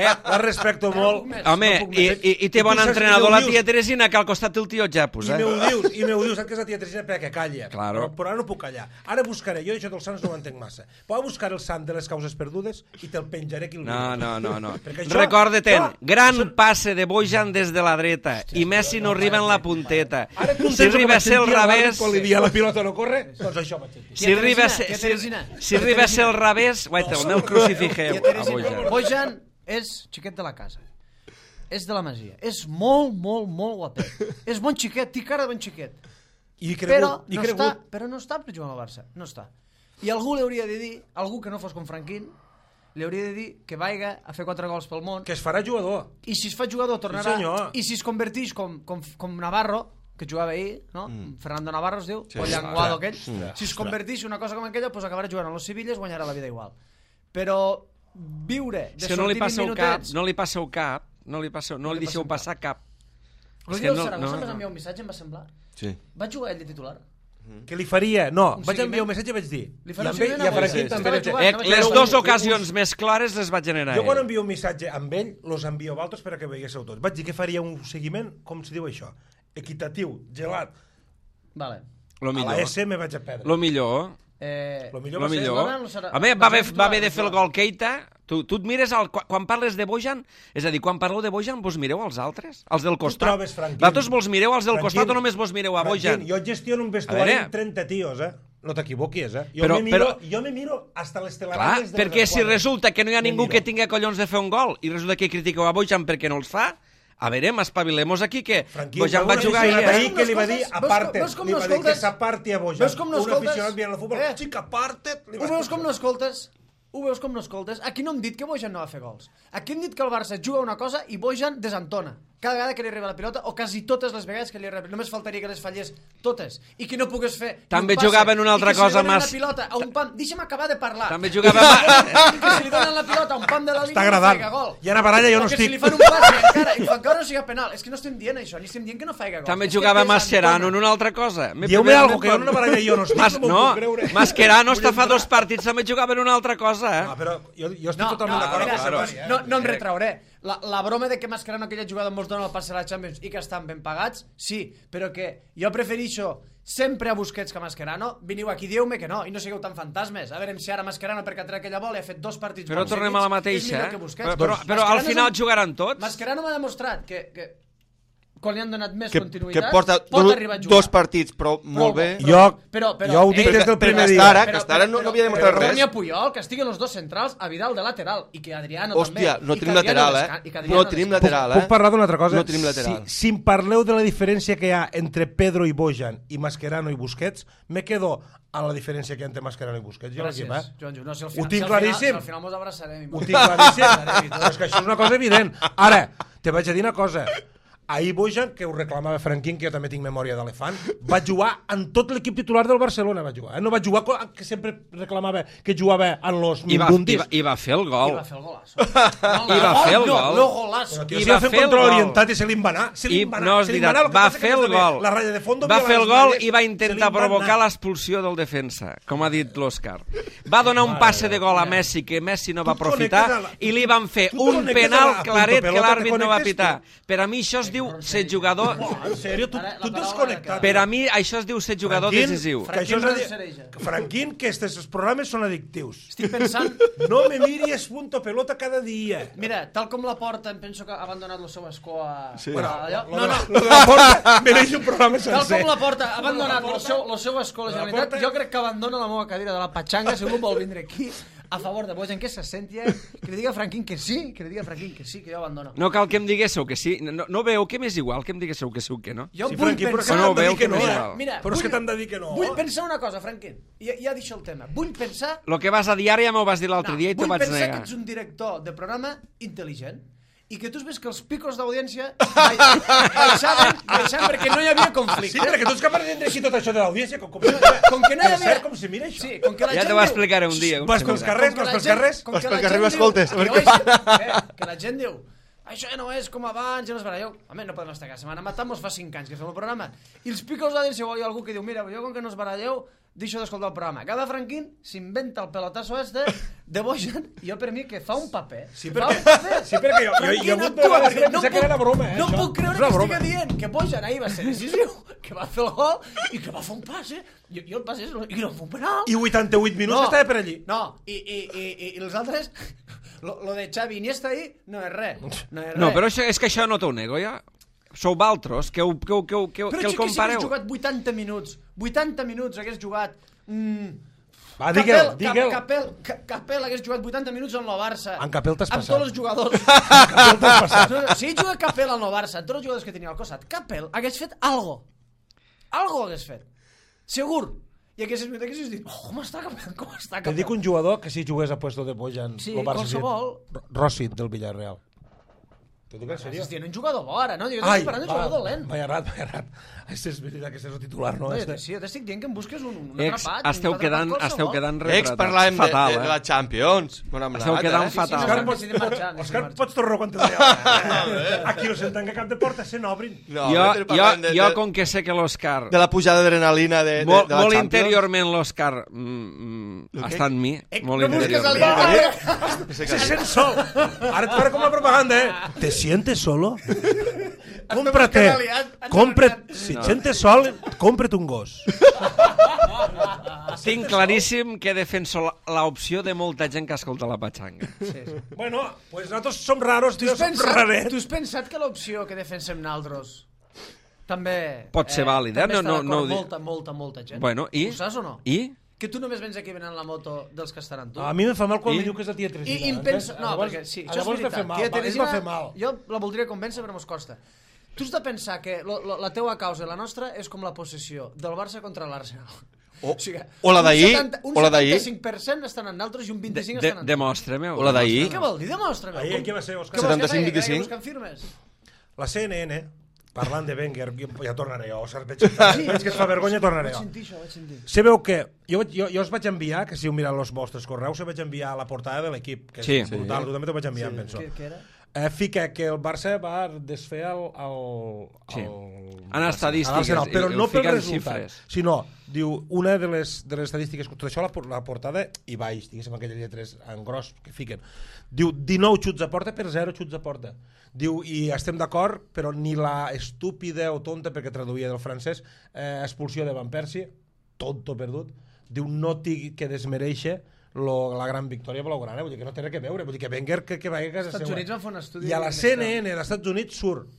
la respecto molt. Home, i té bon entrenador la tia Teresina, que al costat té el tio Japus, I m'ho dius, saps que és la tia Teresina perquè calla. Claro. Però ara no puc callar. Ara buscaré, jo això dels sants no ho entenc massa. Puc buscar el sant de les causes perdudes i te'l penjaré aquí. No. Recorda-te'n, gran passe de Bojan des de la dreta i Messi no arriba en la punteta. Si arriba a ser al revés... Quan li dia la pilota no corre, doncs això vaig sentir. Si arriba a ser al revés, guaita, el meu crucifixeu a Bojan. Bojan és xiquet de la casa. És de la Masia. És molt guapet. És bon xiquet, té cara de bon xiquet. Però no està per jugar al Barça. No està. I algú li hauria de dir, algú que no fos com Franquín, li hauria de dir que vaiga a fer 4 gols pel món. Que es farà jugador. I si es fa jugador tornarà... Sí, I si es converteix com Navarro, que jugava ahir, no? Fernando Navarro es diu, o Llanguado aquell. Si es converteix una cosa com aquella, doncs acabarà jugant a los Sevillas, guanyarà la vida igual. Però viure de sortir 20 minutets... No li passeu cap, no li deixeu passar cap. El dia del Saragossa em vas enviar un missatge, em va semblar. Sí. Va jugar ell de titular? Que li faria... No, vaig enviar un missatge i vaig dir... I a Franquín també vaig dir... Les dues ocasions més clares les va generar ell. Jo quan envio un missatge amb ell, los envio a altres per a que veiéssiu tots. Vaig dir que faria un seguiment, com se diu això, equitatiu, gelat. Vale. Lo millor. A la S me vaig a perdre. Lo millor. Lo millor Lo va ser... millor. Home, va haver de fer el gol Keita. Tu et mires, quan parles de Bojan, és a dir, quan parleu de Bojan, vos mireu als altres? Els del costat? Tu trobes, Franquín. Vosaltres vos mireu als del costat o només vos mireu a Bojan? Jo gestiono un vestuari amb 30 tios, No t'equivoquis, Jo me miro hasta les telarañes... Clar, perquè si resulta que no hi ha ningú que tingui collons de fer un gol i resulta que critiqueu a Bojan perquè no els fa, a veure, espavilemos aquí, que Bojan va jugar ahir, que li va dir aparte, li va dir que s'aparti a Bojan. Un aficionat veient el futbol, xic, aparta't. Ho veus com no escoltes? Aquí no hem dit que Bojan no va fer gols. Aquí hem dit que el Barça juga una cosa i Bojan desentona. Cada vegada que li arriba la pilota, o quasi totes les vegades que li arriba, només faltaria que les fallés totes, i que no pogués fer també jugaven una altra cosa més. I que si li donen la pilota a un pam, deixa'm acabar de parlar. També jugaven... que si li donen la pilota a un pam de la línia, està agradant. Hi ha una baralla, jo no estic. Que si li fan un pas i encara no siga penal. És que no estem dient això, ni estem dient que no faiga gol. També jugava Mascherano en una altra cosa. Dieu-me algo, que hi ha una baralla i jo no estic. No, Mascherano està fa 2 partits, també jugava en una altra cosa. No, però jo estic totalment d'acord. No em retrauré. La broma de que Mascherano aquella jugada mos dona el passe a la Champions i que estan ben pagats, sí, però que jo prefereixo sempre a Busquets que a Mascherano. Veniu aquí, dieu-me que no, i no sigueu tan fantasmes. A veure si ara Mascherano, perquè ha tret aquella bola i ha fet 2 partits però tornem a la mateixa, però al final jugaran tots. Mascherano m'ha demostrat que quan li han donat més continuïtat, que porta pot arribar a jugar. 2 partits, però molt bé. Jo ho dic des del primer dia. Que ara no havia demostrat res. Torni a Puyol, que estiguen els 2 centrals, a Vidal de lateral, i que Adriano també. Hòstia, no tenim lateral, No tenim lateral, Puc parlar d'una altra cosa? No tenim lateral. Si em parleu de la diferència que hi ha entre Pedro i Bojan i Mascherano i Busquets, me quedo a la diferència que hi ha entre Mascherano i Busquets. Gràcies, Joanjo. Ho tinc claríssim. Al final mos abraçarem. Ho tinc claríssim. Però és que això és una cosa evident. Ara, te vaig a dir una cosa. Ahir Bojan, que ho reclamava Franquín, que jo també tinc memòria d'elefant, va jugar en tot l'equip titular del Barcelona. No va jugar, que sempre reclamava que jugava en los mindundis. I va fer el gol. I va fer el golasso. I va fer el gol. No golasso. I va fer el control orientat i se li va anar. No, és veritat, va fer el gol. Va fer el gol i va intentar provocar l'expulsió del defensa, com ha dit l'Òscar. Va donar un passe de gol a Messi, que Messi no va aprofitar, i li van fer un penal claret que l'àrbit no va pitar. Per a mi això es diu ser jugador... En sèrio? Tu desconnectat. Per a mi això es diu ser jugador decisiu. Franquín, que aquests programes són addictius. Estic pensant... No me miris punto pelota cada dia. Mira, tal com la Porta, em penso que ha abandonat el seu escó a... No. La Porta mereix un programa sencer. Tal com la Porta ha abandonat el seu escó a la Generalitat, jo crec que abandona la meva cadira de la patxanga si algú vol vindre aquí a favor de Bojan, que se senti, que li diga a Franquín que sí, que jo abandono. No cal que em diguéssiu que sí. No veu que m'és igual que em diguéssiu que sí o que no. Jo vull pensar... No veu que no. Però és que t'han de dir que no. Vull pensar una cosa, Franquín. Ja deixo el tema. Vull pensar... Lo que vas a diari ja m'ho vas dir l'altre dia i t'ho vaig negar. Vull pensar que ets un director de programa intel·ligent i que tu ves que els picos d'audiència baixaven perquè no hi havia conflicte. Sí, perquè tu ets capaç d'entendre així tot això de l'audiència, com que no hi havia... com se mira això. Sí, com que la Ja gent t'ho diu... explicaré un dia. Vas pels carrers, vas pels carrers. Com que la pel gent carrer i diu... escoltes, a veure què Que la gent diu... Això ja no és com abans, ja no es baralleu. Home, no podem estar cada setmana matant, mos fa 5 anys que fem el programa. I els picos d'audiència, hi ha algú que diu, mira, jo com que no es baralleu, deixo d'escoltar el programa. Cada Franquín s'inventa el pelotasso de Bojan, i jo per mi que fa un paper. Sí, perquè jo Franquín he hagut actua, de pensar que era broma, no això. puc creure És una que broma. estigui dient que Bojan ahir va ser decisiu, que va fer el gol i que va fer un passe, i el passe i no fa un penal. I 88 minuts estava per allí. No, i els altres... Lo de Xavi Iniesta ahir no és res. No, però és que això no t'ho nego, ja. Sou valtros, que el compareu. Però si hagués jugat 80 minuts hagués jugat... Va, digue'l. Capel hagués jugat 80 minuts en el Barça. En Capel t'has amb passat. tots els jugadors. Capel t'has passat. Si juga Capel al Barça, amb tots els jugadors que tenia al costat, Capel hagués fet algo. Algo hagués fet. Segur. I haguessis dit, com està Capel? Te dic un jugador que si jugués a puesto de Bojan... Sí, el Barça qualsevol. Rossi, del Villarreal. Te dic en sèrio? Estien un jugador bo ara, no? Jo Ai, estic parlant de jugador dolent. m'he errat. Això és veritat que és el titular, no? No, sí, jo t'estic dient que em busques un Ex, atrapat. esteu quedant Ex, parlàvem fatal, de la Champions. Esteu quedant fatal. Òscar, pots tornar quan te deia. Aquí no senten que cap de porta se n'obrin. Jo, com que sé que l'Òscar... De la pujada d'adrenalina de la Champions. Molt interiorment l'Òscar està en mi. Molt no busques interiorment. Se sent sol. Ara et faré com la propaganda, ¿Te sientes solo? Si et sentes sol, cómprate un gos. Tinc claríssim que defenso l'opció de molta gent que escolta la patxanga. Bueno, pues nosaltres som raros, Tu has pensat que l'opció que defensem naltros també... Pot ser vàlida, també no ho està dic. molta gent. Bueno, i? Ho saps o no? I? Que tu només vens aquí venant la moto dels que estaran tu. A mi me fa mal quan me diu que és la tia Teresina. I em penso... No, perquè sí, això és veritat. Tia Teresina, va fer mal. jo la voldria convèncer, però mos costa. Tu has de pensar que la teua causa i la nostra és com la possessió del Barça contra l'Arsenal. O la d'ahir. Un 75% estan en altres i un 25% estan en... Demostra-me-ho. O la d'ahir. Què vol dir? Demostra-me. Ahir, què va ser, Òscar? 75-25. Buscant firmes. La CNN, parlant de Wenger, ja tornaré jo, veig que es fa vergonya, tornaré jo. Vaig sentir. Sabeu què? Jo us vaig enviar, que si heu mirat els vostres correus, us vaig enviar la portada de l'equip, que és brutal, tu també t'ho vaig enviar, em penso. Què era? Fica que el Barça va desfer en estadístiques, però no pel fiquen resultat, xifres. sinó, diu, una de les estadístiques, tot això la portada i baix, diguéssim, aquelles lletres en gros que fiquen, diu 19 xuts a porta per 0 xuts a porta. Diu, i estem d'acord, però ni la estúpida o tonta, perquè traduïa del francès, expulsió de Van Persie, tonto perdut, diu, no t'hi que desmereixer la gran victòria blaugrana, vull dir que no té res a veure, vull dir que Wenger que va a casa seva. Estats Units van fer un estudi... I a la CNN dels Estats Units surt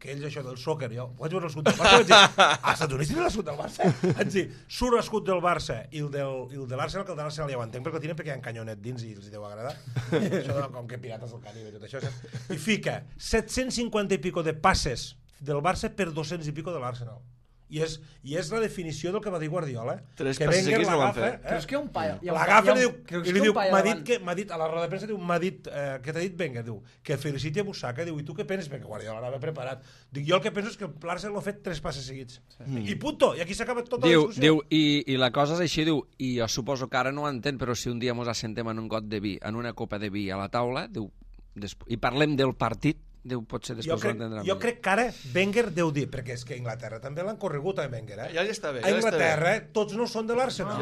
que ells això del soccer, jo vaig veure l'escut del Barça, vaig dir, als Estats Units tenen l'escut del Barça? Vaig dir, surt l'escut del Barça i el de l'Arsenal, que el de l'Arsenal ja ho entenc, perquè el tenen perquè hi ha un canyonet dins i els deu agradar. Això com que Pirates del Caribe i tot això. I fica 750 i pico de passes del Barça per 200 i pico de l'Arsenal. I és la definició del que va dir Guardiola. Tres que passes Wenger seguits no van l'agafa, fer. Però és que un paio... L'agafa i li diu, m'ha dit, a la roda de premsa, m'ha dit, què t'ha dit Wenger? Diu, que feliciti a Busaka, diu, i tu què penses? Perquè Guardiola l'havia preparat. Dic, jo el que penso és que el Barça l'ha fet 3 passes seguits. I punto, i aquí s'acaba tota la discussió. Diu, i la cosa és així, diu, i jo suposo que ara no ho entén, però si un dia mos assentem en un got de vi, en una copa de vi a la taula, diu, i parlem del partit, diu, potser després ho entendrà. Jo crec que ara Wenger deu dir, perquè és que a Inglaterra també l'han corregut a Wenger, Ja li està bé. A Inglaterra tots no són de l'Arsenal.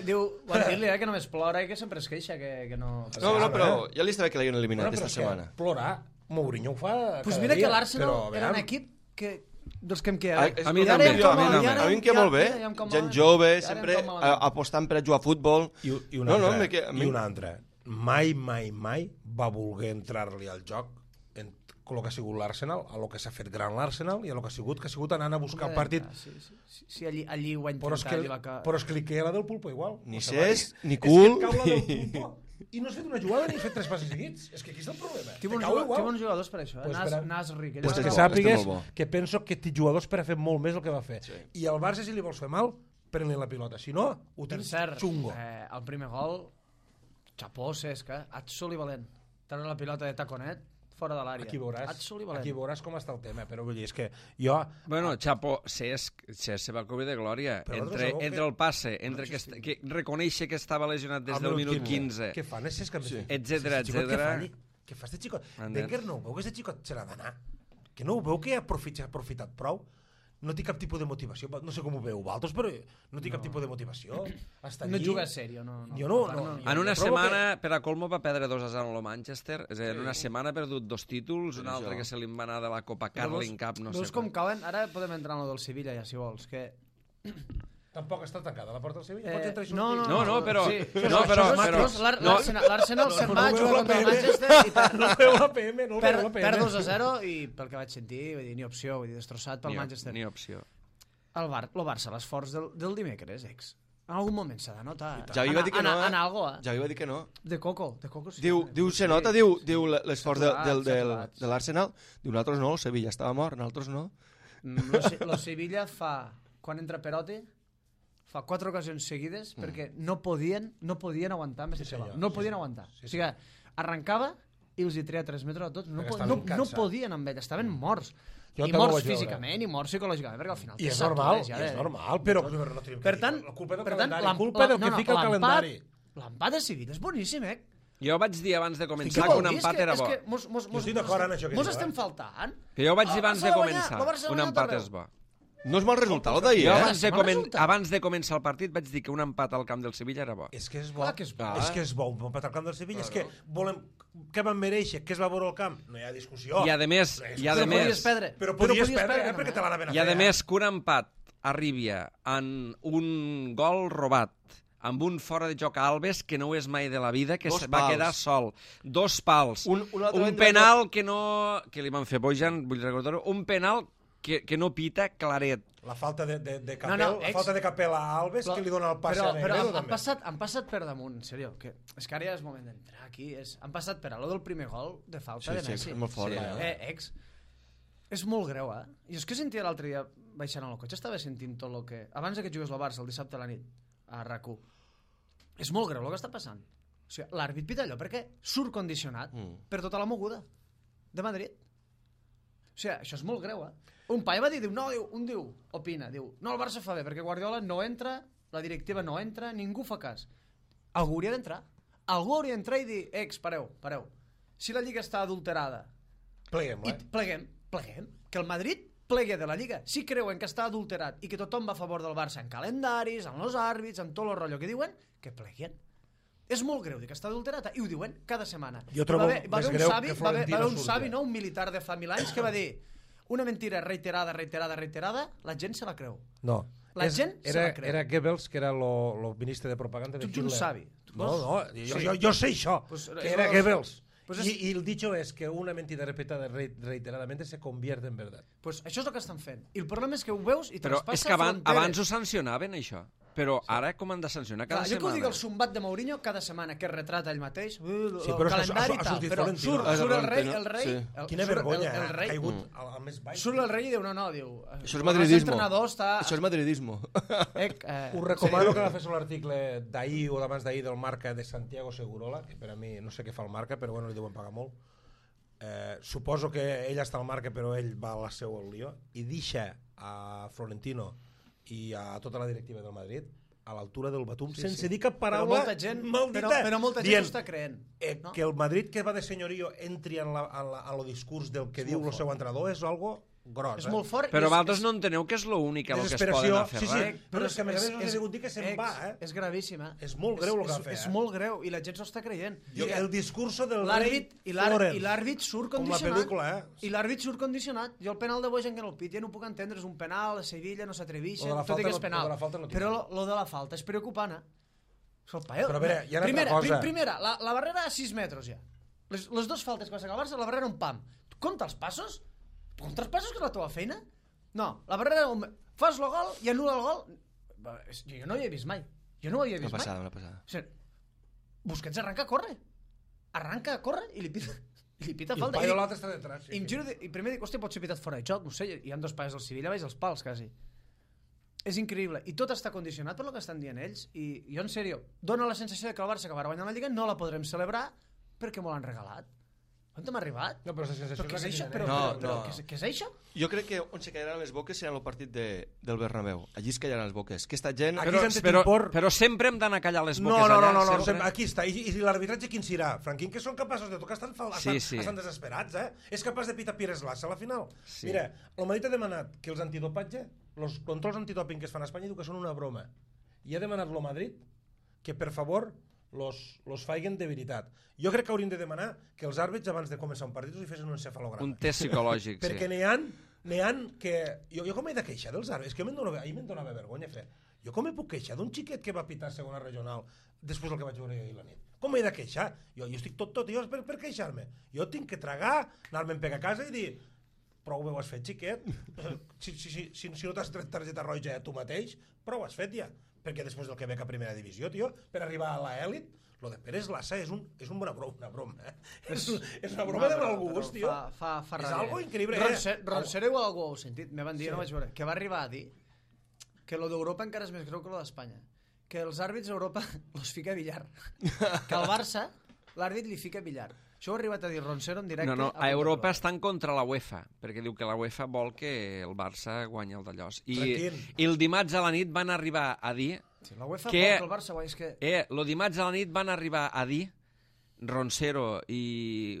Diu, van dir-li que només plora i que sempre es queixa, que no... No, però ja li està bé que l'hagin eliminat aquesta setmana. Plorar, Mourinho ho fa Pues mira que l'Arsenal era un equip que... dels que em queda. A mi també. A mi em queda molt bé. Gent jove, sempre apostant per a jugar a futbol. I una altra. Mai va voler entrar-li al joc en el que ha sigut l'Arsenal, a lo que s'ha fet gran l'Arsenal i a lo que ha sigut anant a buscar el partit. Sí, allí ho ha intentat. Però és que li queda la del Pulpo igual. Ni Cés, ni Cul. És que cau la del Pulpo i no has fet una jugada ni has fet 3 passes seguits. És que aquí està el problema. Que bons jugadors per això, Nasri. Pues que sàpigues que penso que té jugadors per a fer molt més el que va fer. I al Barça, si li vols fer mal, pren-li la pilota. Si no, ho tens xungo. El primer gol, xapó, Cesc, Atsol i Valent. Tenen la pilota de taconet, fora de l'àrea. Aquí Absolutament. veuràs com està el tema, però vull dir, és que jo... Bueno, Chapo, se va cobrir de glòria. Entre el passe, entre que reconèixer que estava lesionat des del minut 15, Què fan, etcètera. Què fa este xicot? Wenger no ho veu que este xicot se l'ha d'anar? Que no ho veu que ha aprofitat prou? No té cap tipus de motivació. No sé com ho veu vosaltres, però no té cap tipus de motivació. No juga sèrio, no. Jo no. En una setmana, per a colmo, va perdre 2-0 amb el Manchester. És a dir, en una setmana ha perdut 2 títols, un altre que se li va anar de la Copa Carling Cup, no sé. Veus com cauen? Ara podem entrar en el del Sevilla, ja, si vols, que... Tampoc està tancada la porta del Sevilla? Pot entrar i sortir? No, però... L'Arsenal se'n va a jugar contra el Manchester i no veu la PM. Perd 2-0 i pel que vaig sentir, vull dir, ni opció, vull dir, destrossat pel Manchester. Ni opció. El Barça, l'esforç del dimecres, en algun moment s'ha de notar. Javi va dir que no, en algo, Javi va dir que no. De Coco sí. Diu, se nota, diu l'esforç de l'Arsenal. Diu, nosaltres no, el Sevilla estava mort, nosaltres no. Lo Sevilla fa, quan entra Perotti, fa 4 ocasions seguides perquè no podien aguantar amb aquest xaval. No el podien aguantar. O sigui, arrencava i els hi treia 3 metres a tots. No podien amb ell, estaven morts. I morts físicament i morts psicològicament, perquè al final... I és normal, però... Per tant, la culpa del que fica el calendari. L'empat de Sevilla és boníssim, Jo vaig dir abans de començar que un empat era bo. Jo estic d'acord en això que diu. Mos estem faltant. Que jo vaig dir abans de començar, un empat és bo. No és mal resultat el d'ahir, abans de començar el partit vaig dir que un empat al camp del Sevilla era bo. És que és bo. És bo, un empat al camp del Sevilla. És que volem... Què van mereixer? Què es va veure al camp? No hi ha discussió. I a més... Però podies perdre, perquè te l'ha de ben a fer. I a més que un empat arribi en un gol robat, amb un fora de joc a Alves que no ho és mai de la vida, que va quedar sol. 2 pals. Un penal que li van fer Bojan, vull recordar-ho, un penal que no pita claret. La falta de Capel, la falta de Capel a Alves, que li dona el passe a Negredo, també. Han passat per damunt, en sèrio, que és que ara ja és moment d'entrar aquí. Han passat per a lo del primer gol de falta de Messi. Sí, és molt fort. És molt greu, I és que sentia l'altre dia, baixant al cotxe, estava sentint tot el que... Abans que jugués al Barça, el dissabte a la nit, a RAC1. És molt greu el que està passant. O sigui, l'àrbit pita allò perquè surt condicionat per tota la moguda de Madrid. O sigui, això és molt greu, Un paio va dir, opina, no, el Barça fa bé, perquè Guardiola no entra, la directiva no entra, ningú fa cas. Algú hauria d'entrar. Algú hauria d'entrar i dir, pareu. Si la Lliga està adulterada... Pleguem. Que el Madrid plegui de la Lliga. Si creuen que està adulterat i que tothom va a favor del Barça en calendaris, en els àrbits, en tot el rotllo que diuen, que pleguen. És molt greu dir que està adulterat, i ho diuen cada setmana. Jo trobo més greu que Florentino un savi, no? Un militar de fa 1000 anys que va dir una mentira reiterada, la gent se la creu. No. La gent se la creu. Era Goebbels, que era el ministre de propaganda de Hitler. Tu ets un savi. No, jo sé això, que era Goebbels. Y el dicho es que una mentida repetada reiteradamente se convierte en verdad. Pues això és el que estan fent. I el problema és que ho veus i però és que abans ho sancionaven, això. Però ara com han de sancionar cada setmana? Jo que ho dic el sombat de Mourinho cada setmana, que es retrata ell mateix, el però calendari i tal, però surt el rei... Quina vergonya, ha caigut al més baix. Surt el rei i diu, diu... Això és madridismo. Això és madridismo. Us recomano que agaféssiu l'article d'ahir o d'abans d'ahir del Marca de Santiago Segurola, que per a mi no sé què fa el Marca, però bueno, li deuen pagar molt. Suposo que ell està al Marca, però ell va a la seu al lío, i deixa a Florentino i a tota la directiva del Madrid a l'altura del batum, sense dir cap paraula maldita. Però molta gent ho està creent. Que el Madrid, que va de senyorio, entri en el discurs del que diu el seu entrenador és algo gros. És molt fort. Però vosaltres no enteneu que és l'únic que es poden aferrar. Però és que a més us he dit que se'n va. És gravíssim. És molt greu el que ha fet. És molt greu i la gent s'ho està creient. El discurso del rei Florent. I l'àrbit surt condicionat. Com la pel·lícula, I l'àrbit surt condicionat. Jo el penal de Bojan que no el piti, ja no ho puc entendre. És un penal, a Sevilla no s'atreveixen, tot i que és penal. Però lo de la falta és preocupant. Però a veure, hi ha una altra cosa. Primera, la barrera a 6 metres ja. Les dues faltes que va sacar el Barça, la barrera un pam. Compta els passos? Compta els passos, que és la teva feina? No, la barrera... Fas el gol i anul·la el gol. Jo no ho he vist mai. Una passada. O sigui, Busquets arranca a córrer. I li pita falta. I el paio l'altre està detrás. I primer dic, hòstia, pot ser pitat fora de joc. No sé, hi ha 2 paios del Sevilla, veig els pals, quasi. És increïble. I tot està condicionat per el que estan dient ells. I jo, en sèrio, dona la sensació que el Barça, que va guanyar la Lliga, no la podrem celebrar perquè m'ho l'han regalat. On hem arribat? No, però la sensació Però què és és això? la que Però, genera. No, però, no. què és això? Jo crec que on se callaran les boques serà el partit del Bernabéu. Allí es callaran les boques. Aquesta gent... Aquí Però, s'han de però, impor. però sempre hem d'anar a callar les boques No, allà. no, sempre. aquí està. I l'arbitratge quin serà? Franquín, que són capaços de tocar, estan desesperats, eh? És capaç de pitar Pires Lassa a la final. Sí. Mira, el Madrid ha demanat que els antidopatge, els controls antidoping que es fan a Espanya, diu que són una broma. I ha demanat el Madrid que, per favor, los faiguen de veritat. Jo crec que hauríem de demanar que els àrbits, abans de començar un partit, us hi fessin un encefalograma. Un test psicològic, sí. Perquè n'hi ha que... Jo com he de queixar dels àrbits? És que ahir me'n donava vergonya fer. Jo com me puc queixar d'un xiquet que va pitar segona regional després del que vaig veure ahir la nit? Com m'he de queixar? Jo estic tot, jo per queixar-me. Jo tinc que tragar, anar-me'n pegar a casa i dir prou bé ho has fet, xiquet. Si no t'has tret targeta roja tu mateix, prou ho has fet ja. Perquè després del que veig a primera divisió, tio, per arribar a l'elit, lo de Pérez Lassa és una broma, eh? És una broma de mal gust, tio. Fa és algo increïble, Roncero igual algú ho heu sentit, me van dir, no vaig veure, que va arribar a dir que lo d'Europa encara és més greu que lo d'Espanya. Que els àrbits a Europa los fica a billar. Que al Barça l'àrbit li fica a billar. Això ho ha arribat a dir Roncero en directe. No, a Europa estan contra la UEFA, perquè diu que la UEFA vol que el Barça guanyi el d'allòs. I el dimarts a la nit van arribar a dir... Sí, la UEFA que, vol que el Barça guanyi, és que... el dimarts a la nit van arribar a dir Roncero i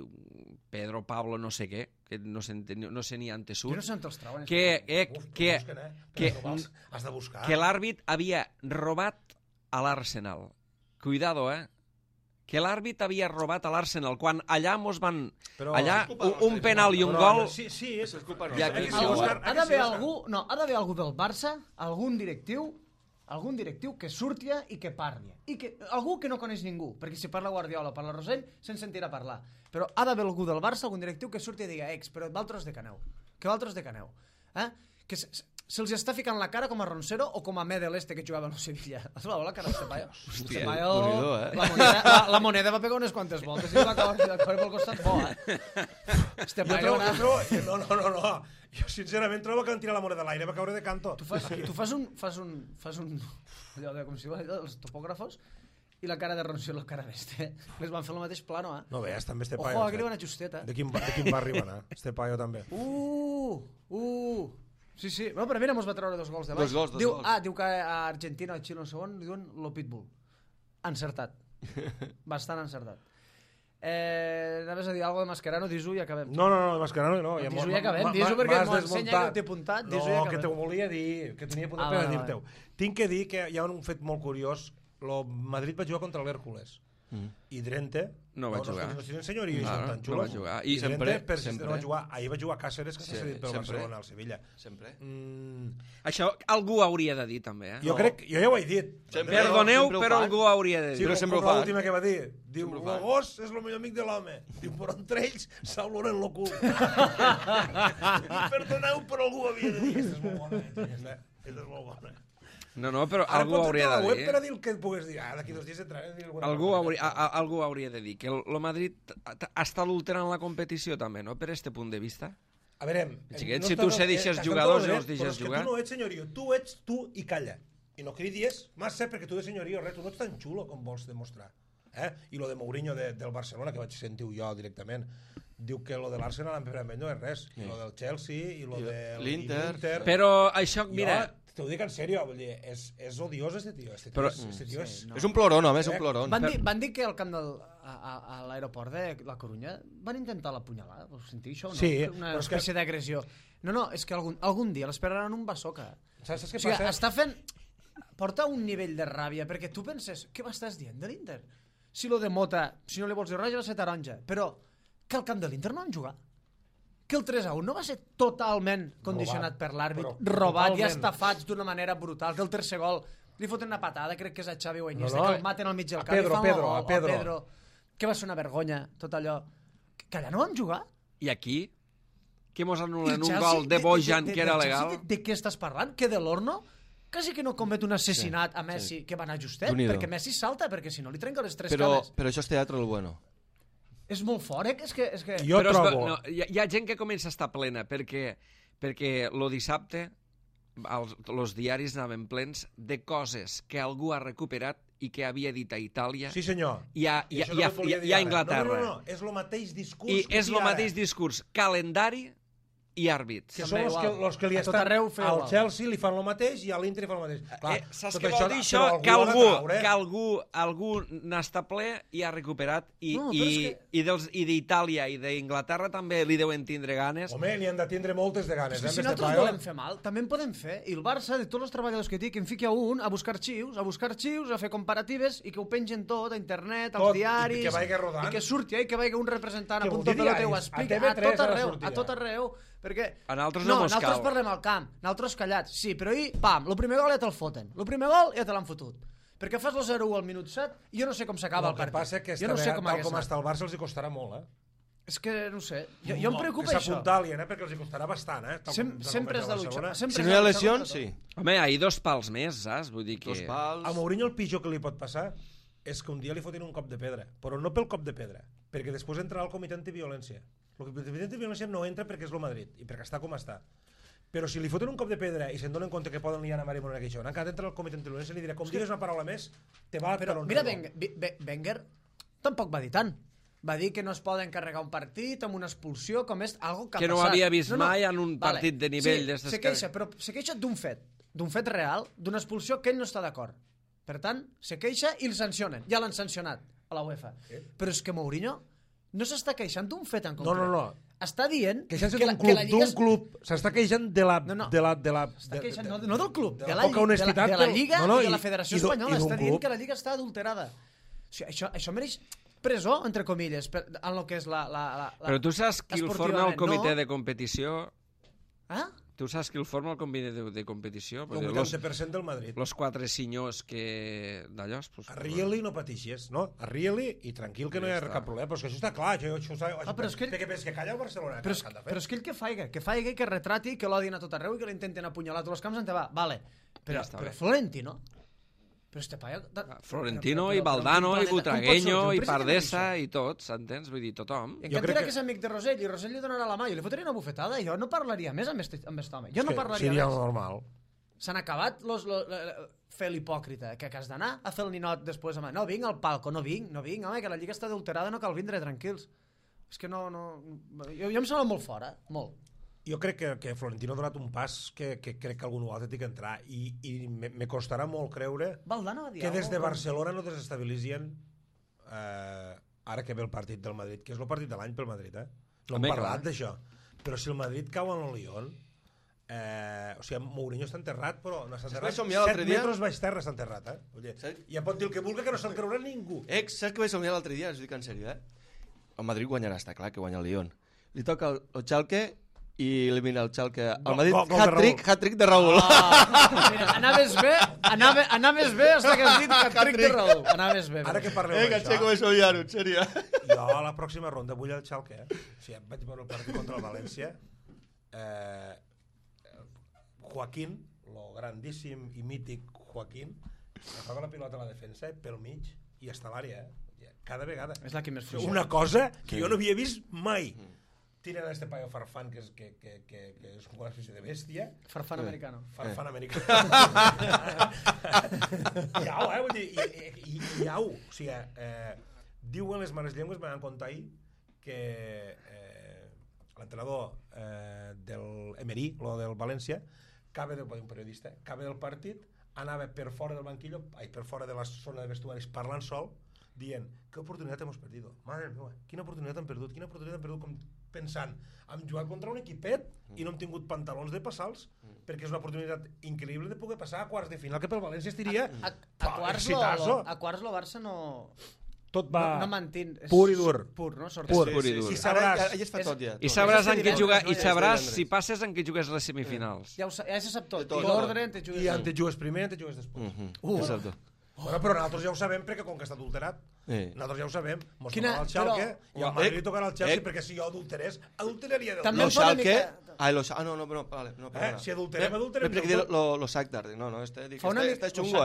Pedro Pablo no sé què, que no sé ni antesut, Jo no sé on els trauen. has de buscar. Que l'àrbit havia robat a l'Arsenal. Cuidado, que l'àrbit havia robat a l'Arsenal quan allà mos van... Però... allà un penal i un gol... Sí, és culpa Ja, nostra. Ha d'haver algú del Barça, algun directiu que surti i que parli. Algú que no coneix ningú, perquè si parla Guardiola o parla Rosell, se'n sentirà parlar. Però ha d'haver algú del Barça, algun directiu que surti i diga però vosaltres de caneu. Que se'ls està ficant la cara com a Roncero o com a Medel que jugava a Sevilla. Has vist la cara d'este paio? Hòstia, La moneda va pegar unes quantes voltes i va acabar pel costat bo, Este paio... No. Jo sincerament trobo que van tirar la moneda a l'aire, va caure de canto. Tu fas un allò de, com si diu allò dels topògrafos i la cara de Roncero i la cara d'este. Les van fer el mateix plano, No veus, també este paio. Ojo, que li van a justeta. De quin va arribar, este paio també. Sí. Bueno, però mira, mos va treure 2 gols de baix. Dos gols. Diu que a Argentina o a Xile o segon li diuen lo pitbull. Encertat. Bastant encertat. Anaves a dir alguna de Mascherano, dis-ho i acabem. No, Mascherano no. Dis-ho i acabem, dis-ho perquè m'ho ensenya que t'he apuntat, dis-ho i No, acabem. que t'ho volia dir, que tenia apuntat per dir-te-ho. Tinc que dir que hi ha un fet molt curiós. El Madrid va jugar contra l'Hèrcules. I Drente no va jugar. No tienen senyorio i són tan No xulos. va jugar. I Drente sempre. no va jugar. Ahir va jugar Cáceres, que s'ha cedit pel Barcelona al Sevilla. Sempre. Això algú hauria de dir també, Jo ja ho he dit. Perdoneu, però algú hauria de dir. Sí, però sempre ho com fan. l'última que va dir. Diu, el gos és el millor amic de l'home. Diu, però entre ells s'auloren el cul. Perdoneu, però algú havia de dir. Aquesta és molt bona. Aquesta és molt bona. No, però algú hauria de dir. Per a dir el que pugues dir. D'aquí 2 dies entraré a dir alguna cosa. Algú hauria de dir que el Madrid està adulterant la competició també, no? Per este punt de vista. A veure... Xiquet, si tu se deixes jugadors i els deixes jugar... Però és que tu no ets senyorio. Tu ets tu i calla. I no cridis massa perquè tu de senyorio, res, tu no ets tan xulo com vols demostrar. I lo de Mourinho del Barcelona, que vaig sentir jo directament, diu que lo de l'Arsenal en primer no és res. I lo del Chelsea i lo de l'Inter. Però això, mira... T'ho dic en sèrio, vull dir, és odiós este tio. Este tio és un ploron, home, és un ploron. Van dir que al camp a l'aeroport de la Corunya van intentar l'apunyalar, ho sentiu això o no? Sí. Una espècie d'agressió. No, és que algun dia l'esperaran un bassoca. Saps què passa? Està fent... Porta un nivell de ràbia, perquè tu penses, què m'estàs dient de l'Inter? Si lo de Mota, si no li vols dir res, va ser taronja. Però que al camp de l'Inter no han jugat. Que el 3-1 no va ser totalment condicionat per l'àrbit, robat i estafats d'una manera brutal, que el tercer gol li foten una patada, crec que és a Xavi o a Iniesta, que el maten al mig del camp i fan el gol, Pedro, que va ser una vergonya, tot allò, que allà no van jugar. I aquí? Que mos anulen un gol de Bojan que era legal? De què estàs parlant? Que de l'Horno quasi que no comet un assassinat a Messi, que va anar justet, perquè Messi salta, perquè si no li trenca les 3 cames. Però això és teatre el bueno. És molt fort, És que... Jo trobo... No, hi ha gent que comença a estar plena, perquè lo dissabte els diaris anaven plens de coses que algú ha recuperat i què havia dit a Itàlia Sí, senyor. i a Anglaterra. No, és el mateix discurs. I és el mateix discurs, calendari i àrbits. Que són els que li A tot estan arreu fer al igual. Chelsea li fan el mateix i a l'Inter li fan el mateix. Clar, Saps tot què vol dir això? però Que algú n'està ple i ha recuperat No, però és i d'Itàlia i d'Inglaterra també li deuen tindre ganes. Home, n'hi han de tindre moltes de ganes. Si nosaltres volem fer mal, també en podem fer. I el Barça, de tots els treballadors que té, que en fiqui a un a buscar arxius, a fer comparatives i que ho pengen tot a internet, als Tot, diaris... i que vagi rodant. I que surti, i que vagi un representant Que a vol Punto dir Pelota i ho diaris. explica A TV3 a tot arreu, perquè... A nosaltres no mos nosaltres cal. parlem al camp, nosaltres callats. Sí, però ahir, pam, el primer gol ja te'l foten. El primer gol ja te l'han fotut. Perquè fas el 0-1 al minut 7 i jo no sé com s'acaba el El que partit. passa que jo no sé com tal com està el Barça els hi costarà molt, És que, no sé, jo em preocupa que això. s'apuntalien, perquè els hi costarà bastant, Sempre és de lucha. Si no hi ha lesions, sí. Home, hi ha 2 pals més, saps? Vull dir que... 2 pals... A Mourinho el pitjor que li pot passar és que un dia li fotin un cop de pedra, però no pel cop de pedra, perquè després entrarà el comitè antiviolència. El comitè antiviolència no entra perquè és el Madrid i perquè està com està. Però si li foten un cop de pedra i se'n donen compte que poden liar a Mari Morena Queixón, encara entra el comitè antiviolència i li dirà, com digues una paraula més, te va Però per mira, Wenger tampoc va dir tant. Va dir que no es poden carregar un partit amb una expulsió, com és algo que ha Que no passat. havia vist mai en un partit de nivell sí, d'estes se queixa, però se queixa d'un fet real, d'una expulsió que ell no està d'acord. Per tant, se queixa i el sancionen. Ja l'han sancionat a la UEFA. Però és que Mourinho no s'està queixant d'un fet en concret. No. Està dient Queixant-se que d'un club, s'està queixant de la... Està queixant no del club, de la Lliga i de la Federació Espanyola. Està dient que la Lliga està adulterada. O sigui, això mereix presó, entre comilles, en el que és la Però tu saps qui el forma el comitè de competició? Ah? Tu saps qui el forma el comitè de competició? El 80% del Madrid. Los 4 senyors que... d'allò... Arrieli no patixes, no? Arrieli i tranquil que no hi ha cap problema. Però és que això està clar. Però és que què penses, que calla el Barcelona? Però és que ell que faiga, i que retrati, que l'odien a tot arreu i que l'intenten apunyalar a tots els camps, va, vale. Però Florentino... Però este paio... Florentino i Valdano i Butragueño i Pardesa i tots, entens? Vull dir, tothom. I encara que és amic de Rosell i Rosell li donarà la mà, jo li fotria una bufetada i jo no parlaria més amb aquest home. Jo no parlaria seria més. Normal. S'han acabat fer l'hipòcrita, que has d'anar a fer el ninot després. Home, no vinc al palco, no vinc, home, que la lliga està adulterada, no cal vindre, tranquils. És que no... Jo em sembla molt fora, molt. Jo crec que Florentino ha donat un pas que crec que algun altre té que entrar i me costarà molt creure que des de Barcelona no desestabilitzien ara que ve el partit del Madrid, que és el partit de l'any pel Madrid, no hem parlat d'això, però si el Madrid cau en el Lyon, o sigui, Mourinho està enterrat, però no està enterrat, 7 metres baix terra està enterrat, ja pot dir el que vulgui que no se'l creurà ningú. Saps que vaig somiar l'altre dia, us dic en sèrio, el Madrid guanyarà, està clar que guanya el Lyon, li toca el Schalke i elimina el Schalke al Madrid, hat-trick de Raúl. Mira, anaves bé hasta que has dit hat-trick de Raúl. Anaves bé. Ara que parleu d'això... Que vaig somiar-ho, en sèrio. Jo a la pròxima ronda vull el Schalke, o sigui, vaig veure el partit contra el València, Joaquín, lo grandíssim i mític Joaquín, agafava la pilota a la defensa pel mig i està a l'àrea, cada vegada. És la que més fugia. Una cosa que jo no havia vist mai. Tiren a este paio Farfán, que és una espècie de bèstia. Farfán americano. Farfán americano. Iau, vull dir, iau. O sigui, diuen les mares llengües, me van contar ahir, que l'entrenador del Emery, lo del València, un periodista, acaba del partit, anava per fora del banquillo, per fora de la zona de vestuaris, parlant sol, dient, qué oportunitat hemos perdido, madre meva, quina oportunitat hem perdut, com pensant, hem jugat contra un equipet i no hem tingut pantalons de passals, perquè és una oportunitat increïble de poder passar a quarts de final, que pel València estiria a quarts lo Barça no... Tot va no mantén, pur i dur. Pur, no? Pur i dur. I sabràs, I sabràs en què jugar, i sabràs si passes en què jugues les semifinals. Ja se sap tot. I l'ordre en te jugues primer, en te jugues després. Exacte. Bueno, però nosaltres ja ho sabem perquè com que està adulterat, nosaltres ja ho sabem, mos tocarà el Schalke i al Madrid tocarà el Chelsea perquè si jo adulteraria del també Schalke no, si adulterem lo Shakhtar, no, este xungo,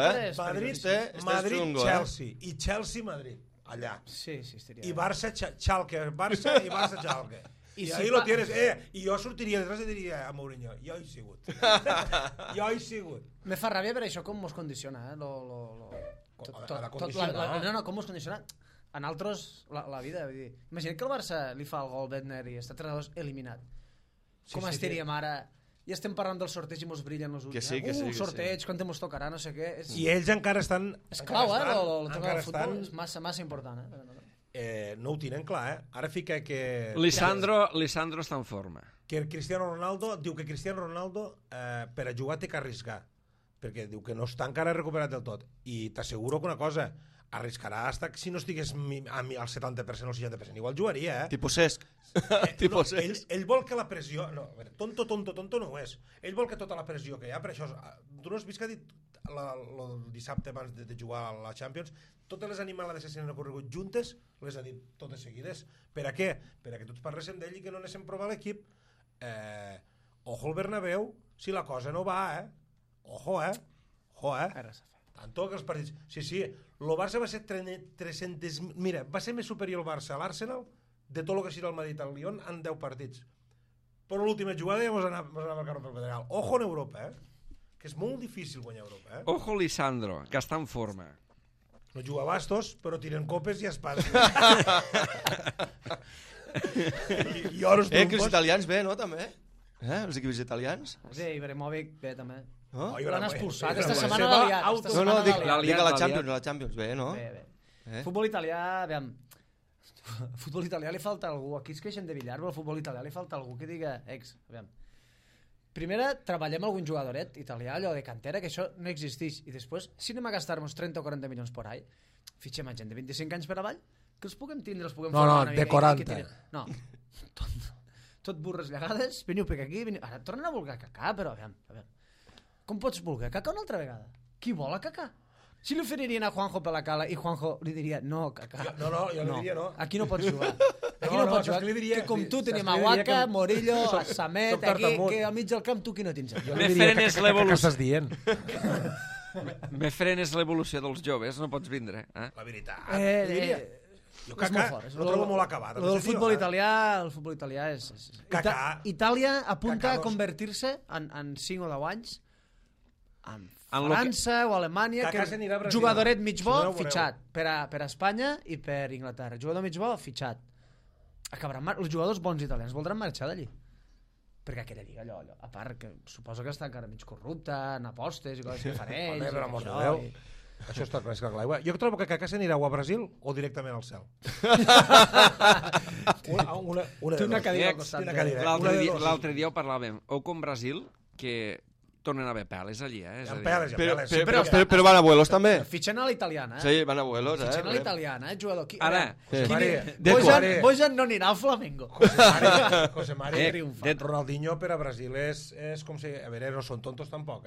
Madrid, Chelsea i Chelsea, Madrid, allà. Sí, estaria. I Barça, Schalke, Barça i Barça, Schalke. I ahí lo tienes, i jo sortiria detrás i diria a Mourinho, jo he sigut. Jo he sigut. Me fa ràbia per això com mos condiciona, com mos condiciona en altres la vida. Vull dir, imagina't que el Barça li fa el gol Bedner i està 3-2 eliminat. Com estaríem ara? I estem parlant del sorteig i mos brillen els ulls. Que sí. Sorteig, quan mos tocarà, no sé què. I ells encara estan... És clau, el tocar del futbol és massa important. No ho tenen clar, Ara fica que... Lisandro està en forma. Que Cristiano Ronaldo diu que Cristiano Ronaldo per a jugar té que arriscar, perquè diu que no està encara recuperat del tot. I t'asseguro que una cosa, arriscarà hasta si no estigués al 70% o al 60%, igual jugaria, Tipo Cesc. Ell vol que la pressió... No, a veure, tonto no ho és. Ell vol que tota la pressió que hi ha, per això... Tu no has vist que ha dit el dissabte abans de jugar a la Champions, totes les animalades que s'han ocorregut juntes, les ha dit totes seguides. Per a què? Per a que tots parléssim d'ell i que no anéssim a provar l'equip. Ojo al Bernabéu, si la cosa no va, Ojo, Tanto que els partits... Sí, el Barça va ser 300... Mira, va ser més superior el Barça a l'Arsenal de tot el que serà el Madrid al Lyon en 10 partits. Però l'última jugada ja mos anava al carro pel pedregal. Ojo en Europa, que és molt difícil guanyar Europa, Ojo Lisandro, que està en forma. No juga a bastos, però tiren copes i espasa. I oros Que els italians bé, no, també? Els equips italians? Sí, Ibrahimovic bé, també. L'han expulsat. Esta setmana l'ha liat. No, dic a la Champions, bé, no? Bé. Futbol italià, aviam. Futbol italià li falta algú. Aquí es queixen de Villar, però al futbol italià li falta algú que diga aviam. Primera, treballem algun jugadoret italià, allò de cantera, que això no existeix. I després, si anem a gastar-nos 30 o 40 milions por ahí, fitxem a gent de 25 anys per avall, que els puguem tindre, els puguem formar una mica. De 40. No, tot burres llegades, veniu per aquí, ara tornen a voler Kaká, però aviam. Com pots voler Kaká una altra vegada? Qui vol a Kaká? Si li oferirien a Juanjo per la cala i Juanjo li diria no, Kaká. Jo li diria no. Aquí no pots jugar. Aquí no pots jugar. Que com tu tenim a Waka, Morillo, a Samet, aquí, que al mig del camp tu qui no tens. Me frenes l'evolució. Dient. Me frenes l'evolució dels joves, no pots vindre. La veritat. Jo Kaká no trobo molt acabat. El futbol italià és... Itàlia apunta a convertir-se en 5 o 10 anys en França o Alemanya, que jugadoret mig bo fitxat per a Espanya i per Inglaterra. Jugador mig bo fitxat. Els jugadors bons italians voldran marxar d'allí. Perquè aquella lliga, allò, a part, que suposo que està encara mig corrupta, en apostes i coses que fan ells. Per amor de Déu. Això està clar, és clar. Jo trobo que Kaká s'anirà o a Brasil o directament al cel. Té una cadira al costat. L'altre dia ho parlàvem. O com Brasil, que tornen a haver peles allí, Però van a vuelos també. Fitxen a la italiana, Sí, van a vuelos, Fitxen a la italiana, jugador. Ara, Bojan no anirà al Flamengo. José María, Ronaldinho per a Brasil és com si... A veure, no són tontos tampoc,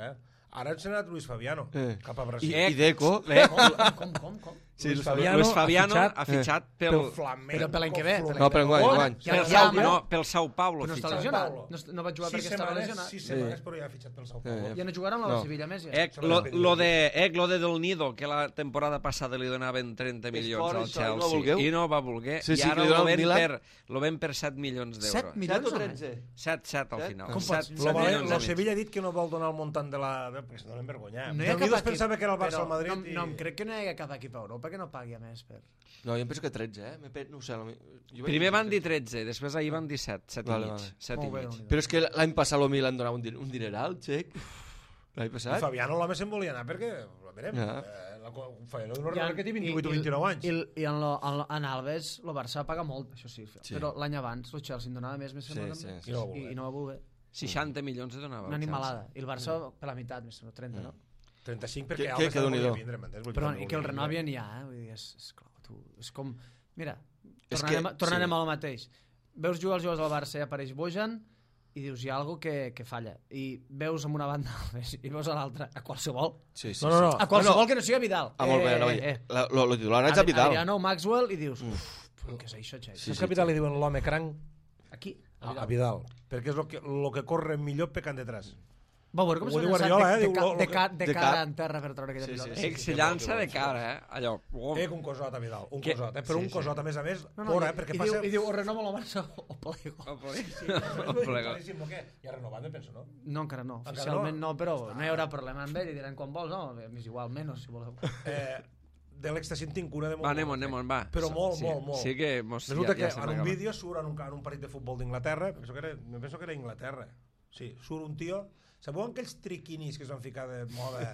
Ara s'ha anat Luis Fabiano cap a Brasil. I Deco. Com? Sí, Luis Fabiano ha fitxat pel Flamengo. Però per l'any que ve. No, per enguany. Pel Sao Paulo. No està lesionat. No va jugar perquè estava lesionat. 6 setmanes, però ja ha fitxat pel Sao Paulo. Ja no jugarà amb la Sevilla més. Lo de Del Nido, que la temporada passada li donaven 30 milions al Chelsea i no va voler, i ara lo ven per 7 milions d'euros. 7 milions o 13? 7 al final. Lo Sevilla ha dit que no vol donar el muntant de la... perquè se donen vergonya. Del Nido es pensava que era el Barça al Madrid. No, crec que no hi ha cap equip a Europa que no pagui a més per... No, jo em penso que 13, No ho sé. Primer van dir 13, després ahir van dir 7 i mig. Però és que l'any passat el Milan donava un dineral, xec. L'any passat. I Fabiano l'home se'n volia anar perquè, a veure, Fabiano no recorda que té 28 o 29 anys. I en Alves el Barça paga molt, això sí. Però l'any abans el Chelsea en donava més i no va voler. 60 milions de donava. Una animalada. I el Barça per la meitat, més o 30, no? 35 perquè Alves no volia vindre, m'entens? Però i que el renovien ja, vull dir, és clar, és com... Mira, tornarem al mateix. Veus jugar els jugadors del Barça i apareix Bojan i dius, hi ha alguna cosa que falla. I veus amb una banda Alves i veus a l'altra, a qualsevol. No. A qualsevol que no sigui Vidal. Molt bé, lo titular és a Vidal. Adriano, Maxwell, i dius, què és això, xai? Saps que a Vidal li diuen l'home cranc? Aquí? A Vidal. Perquè és el que corre millor pecant detrás. Va veure com Ho s'ha diu llançat Guardiola, de de cara cap. en terra per treure aquella Sí, pilota. sí, Ell se llança de cara, allò. Un cosot, a Vidal, un Que- cosot. Però sí, un cosot, a més, No, fora, perquè passa... I diu, o renova la Barça o plego. Claríssim, què? Ja renovat, me penso, no? No, encara no. Encara Oficialment no? no, però no hi haurà problema amb ell i diran quan vols, no? M'és igual, menys, si voleu. De l'extasi en tinc cura de molt. Va, anem-on, va. Però molt, Sí, molt, molt. Sí que mos... Resulta que estem en un acabant. vídeo surt en un partit de futbol d'Inglaterra, me penso que era Inglaterra. Sí, surt un tio... Sabeu aquells triquinis que es van ficar de moda?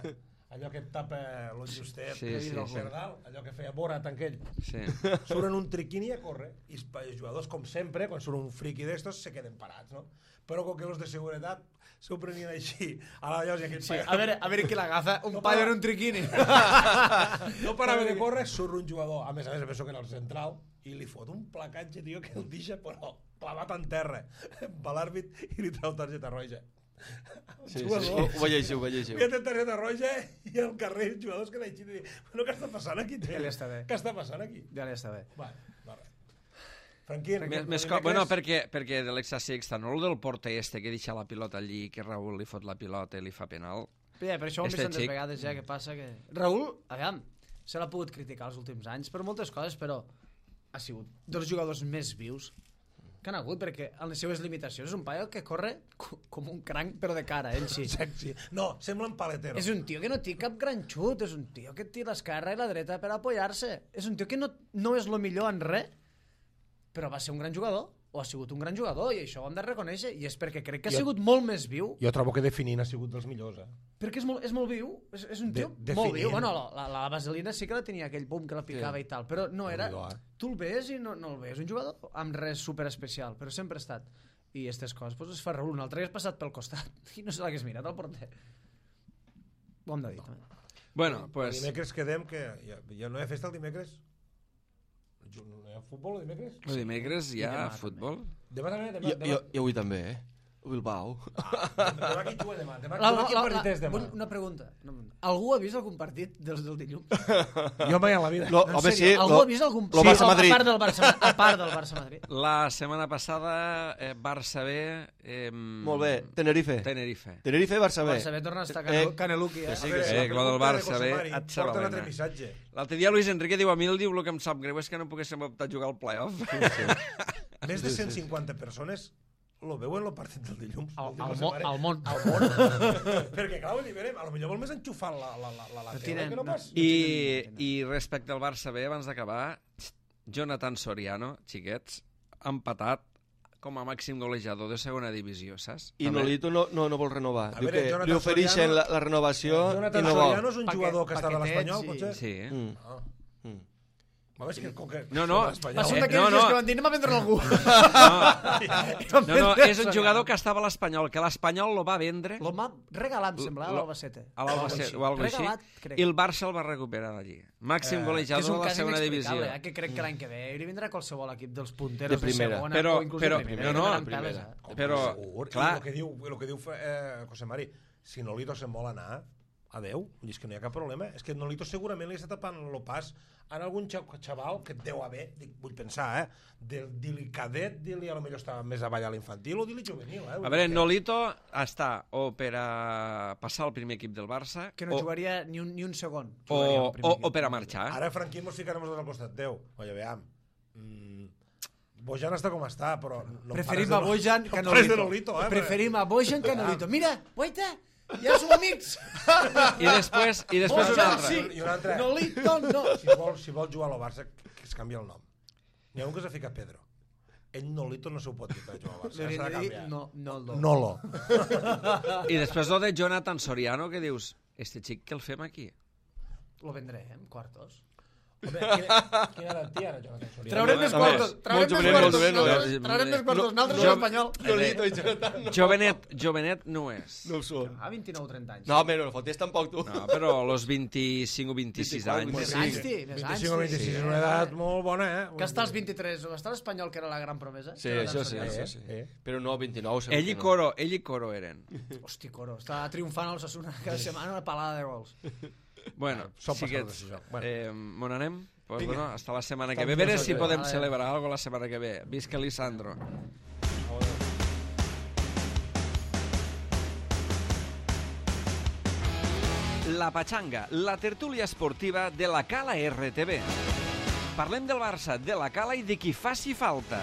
Allò que et tapa l'on justet, Sí, per dalt, allò que feia Borat aquell. Sí. Suren un triquini a córrer i els jugadors, com sempre, quan surt un friqui d'estos, se queden parats, no? Però com que els de seguretat s'ho prenien així a la llosa i aquell Sí, a veure qui l'agafa, un paio en un triquini. no parava de córrer, surt un jugador, a més, penso que era el central, i li fot un placatge, tio, que el deixa, però clavat en terra, va l'àrbit i li treu targeta roja. Sí, ho llegiu. Que té targeta roja i al carrer els jugadors que deixen de dir, bueno, què està passant aquí? Ja li està bé. Què està passant aquí? Ja li està bé. Va, Franquín. Bueno, perquè de l'extasi externol del porter este que deixa la pilota allí, que Raúl li fot la pilota i li fa penal. Ja, per això ho hem Este vist tantes xic. vegades ja, que passa que... Raúl, aviam, se l'ha pogut criticar els últims anys per moltes coses, però ha sigut dels jugadors més vius que han hagut, perquè en les seves limitacions és un paio que corre com un cranc, però de cara, ell sí. Sexy. No, sembla un paletero. És un tio que no té cap gran xut, és un tio que té l'esquerra i la dreta per apoyar-se. És un tio que no és lo millor en res, però va ser un gran jugador, o ha sigut un gran jugador, i això ho hem de reconèixer, i és perquè crec que ha sigut molt més viu. Jo trobo que definint ha sigut dels millors, Perquè és molt viu, és un tio molt viu. Bueno, la vaselina sí que la tenia aquell pum que la picava i tal, però no era... Tu el ves i no el ves un jugador amb res super especial, però sempre ha estat. I aquestes coses pues, es fa Raúl. Un altre que has passat pel costat i no se l'hagués mirat al porter. Ho hem de dir, també. Bueno, pues... Dimecres quedem que... Ja no hi ha festa el dimecres? No hi ha futbol el dimecres? El dimecres hi ha futbol? Demà també? Jo avui també, Bilbao. Demà qui juga demà? Demà quin partit és demà? Una pregunta. Algú ha vist algun partit dels del dilluns? Jo mai en la vida. Home, sí. Algú ha vist algun Lo Barça-Madrid. A part del Barça-Madrid. La setmana passada, Barça B... Molt bé. Tenerife, Barça B. Barça B torna a estar Caneluqui. Sí, lo del Barça B et Porta un altre s'avalena. missatge. L'altre dia Luis Enrique diu a mi el diu el que em sap greu és que no poguéssim optar a jugar al playoff. Més de 150 persones lo veuen el partit del dilluns. Al món. Perquè, clar, vull dir, potser vol més enxufar la tele que no pas. I respecte al Barça B, abans d'acabar, Jonathan Soriano, xiquets, ha empatat com a màxim golejador de segona divisió, saps? I Nolito no vol renovar. A Diu veure, que Jonathan li ofereixen Soriano- la renovació i Jonathan no vol. Soriano és un jugador que està de l'Espanyol, potser? Sí. És que com que... No. Va ser un d'aquells dies que van dir anem a vendre algú. No, és un jugador que estava a l'Espanyol, que l'Espanyol lo va vendre Lo m'ha regalat, em sembla, a l'Albacete. a l'Albacete o alguna cosa Regalat, així, crec. i el Barça el va recuperar d'allí. Màxim Que és golejador un de la cas segona divisió. inexplicable, que crec que l'any que ve hi vindrà qualsevol equip dels punteros De primera. segona Però- o inclús però- de primera. no, que tenen primera. peles, Però, Segur. clar... I el que diu José Mari, si Nolito se'n vol anar, adeu, és que no hi ha cap problema. És que Nolito segurament li està tapant el pas en algun xaval que deu haver, vull pensar, del dili cadet, dili a lo millor està més avall a l'infantil o dili juvenil. A veure, Nolito està o per a passar al primer equip del Barça Que no jugaria ni un segon. o per a marxar. Ara Franquín mos ficarem al costat teu. Oye, veam. Bojan està com està, però... No Preferim a Bojan que a no pares de Nolito. Nolito, Preferim a Bojan que a Nolito. Mira, guaita, ja som amics. I després un Bojan altre. sí, I un altre. Nolito no. Si vol jugar al Barça, que es canvi el nom. N'hi ha un que s'ha ficat Pedro. Ell Nolito no s'ho pot dir per jugar al Barça. Li S'ha de hauria de dir canviar. no. Nolo. I després lo de Jonathan Soriano, que dius, este xic que el fem aquí? Lo vendré, en quartos. Quina edat té ara, Jonathan Soriano? Traurem més quartos. Traurem més quartos. Traurem més quartos. Nosaltres l'Espanyol. Nolito i Jonathan no. Jovenet no és. No ho són. A 29-30 anys. No, home, no fotis tampoc tu. No, però los 25 o 26 anys. Més anys, té. Més anys, 25 o 26 és una edat molt bona, Que està als 23, o està l'Espanyol, que era la gran promesa. Sí, això sí. Però no, 29 segur Ell i Coro eren. Hosti, Coro, està triomfant al Osasuna cada setmana una palada de gols. Bueno, Són xiquets, passades, això. m'on anem? Pues Vinga. bueno, hasta la setmana que Hasta ve. A veure la si setmana que ve. podem Vale. celebrar algo la setmana que ve. Visca Lisandro. La Patxanga, la tertúlia esportiva de la Cala RTV. Parlem del Barça, de la Cala i de qui faci falta.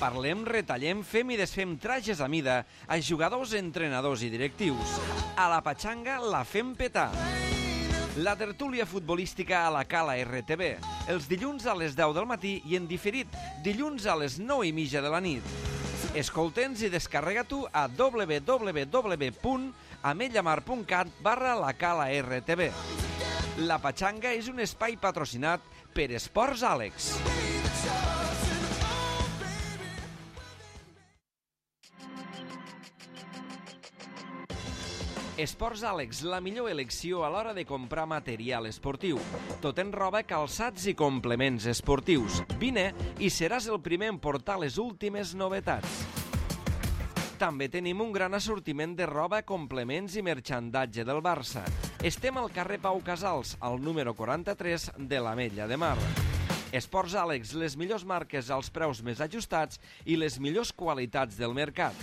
Parlem, retallem, fem i desfem trajes a mida a jugadors, entrenadors i directius. A la Patxanga la fem petar. La tertúlia futbolística a la Cala RTV, els dilluns a les 10 del matí i en diferit, dilluns a les 9:30 de la nit. Escolta'ns i descarrega-t'ho a www.ametlllamar.cat/la Cala RTV. La Patxanga és un espai patrocinat per Esports Àlex. Esports Àlex, la millor elecció a l'hora de comprar material esportiu. Tot en roba, calçats i complements esportius. Vine i seràs el primer en portar les últimes novetats. També tenim un gran assortiment de roba, complements i merxandatge del Barça. Estem al carrer Pau Casals, al número 43 de l'Ametlla de Mar. Esports Àlex, les millors marques als preus més ajustats i les millors qualitats del mercat.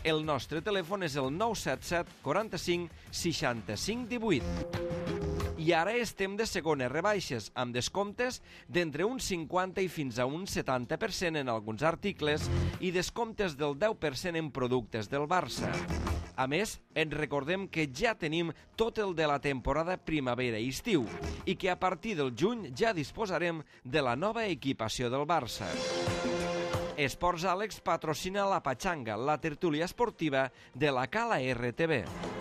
El nostre telèfon és el 977 45 65 18. I ara estem de segones rebaixes, amb descomptes d'entre un 50 i fins a un 70% en alguns articles i descomptes del 10% en productes del Barça. A més, ens recordem que ja tenim tot el de la temporada primavera i estiu i que a partir del juny ja disposarem de la nova equipació del Barça. Esports Àlex patrocina la Patxanga, la tertúlia esportiva de la Cala RTV.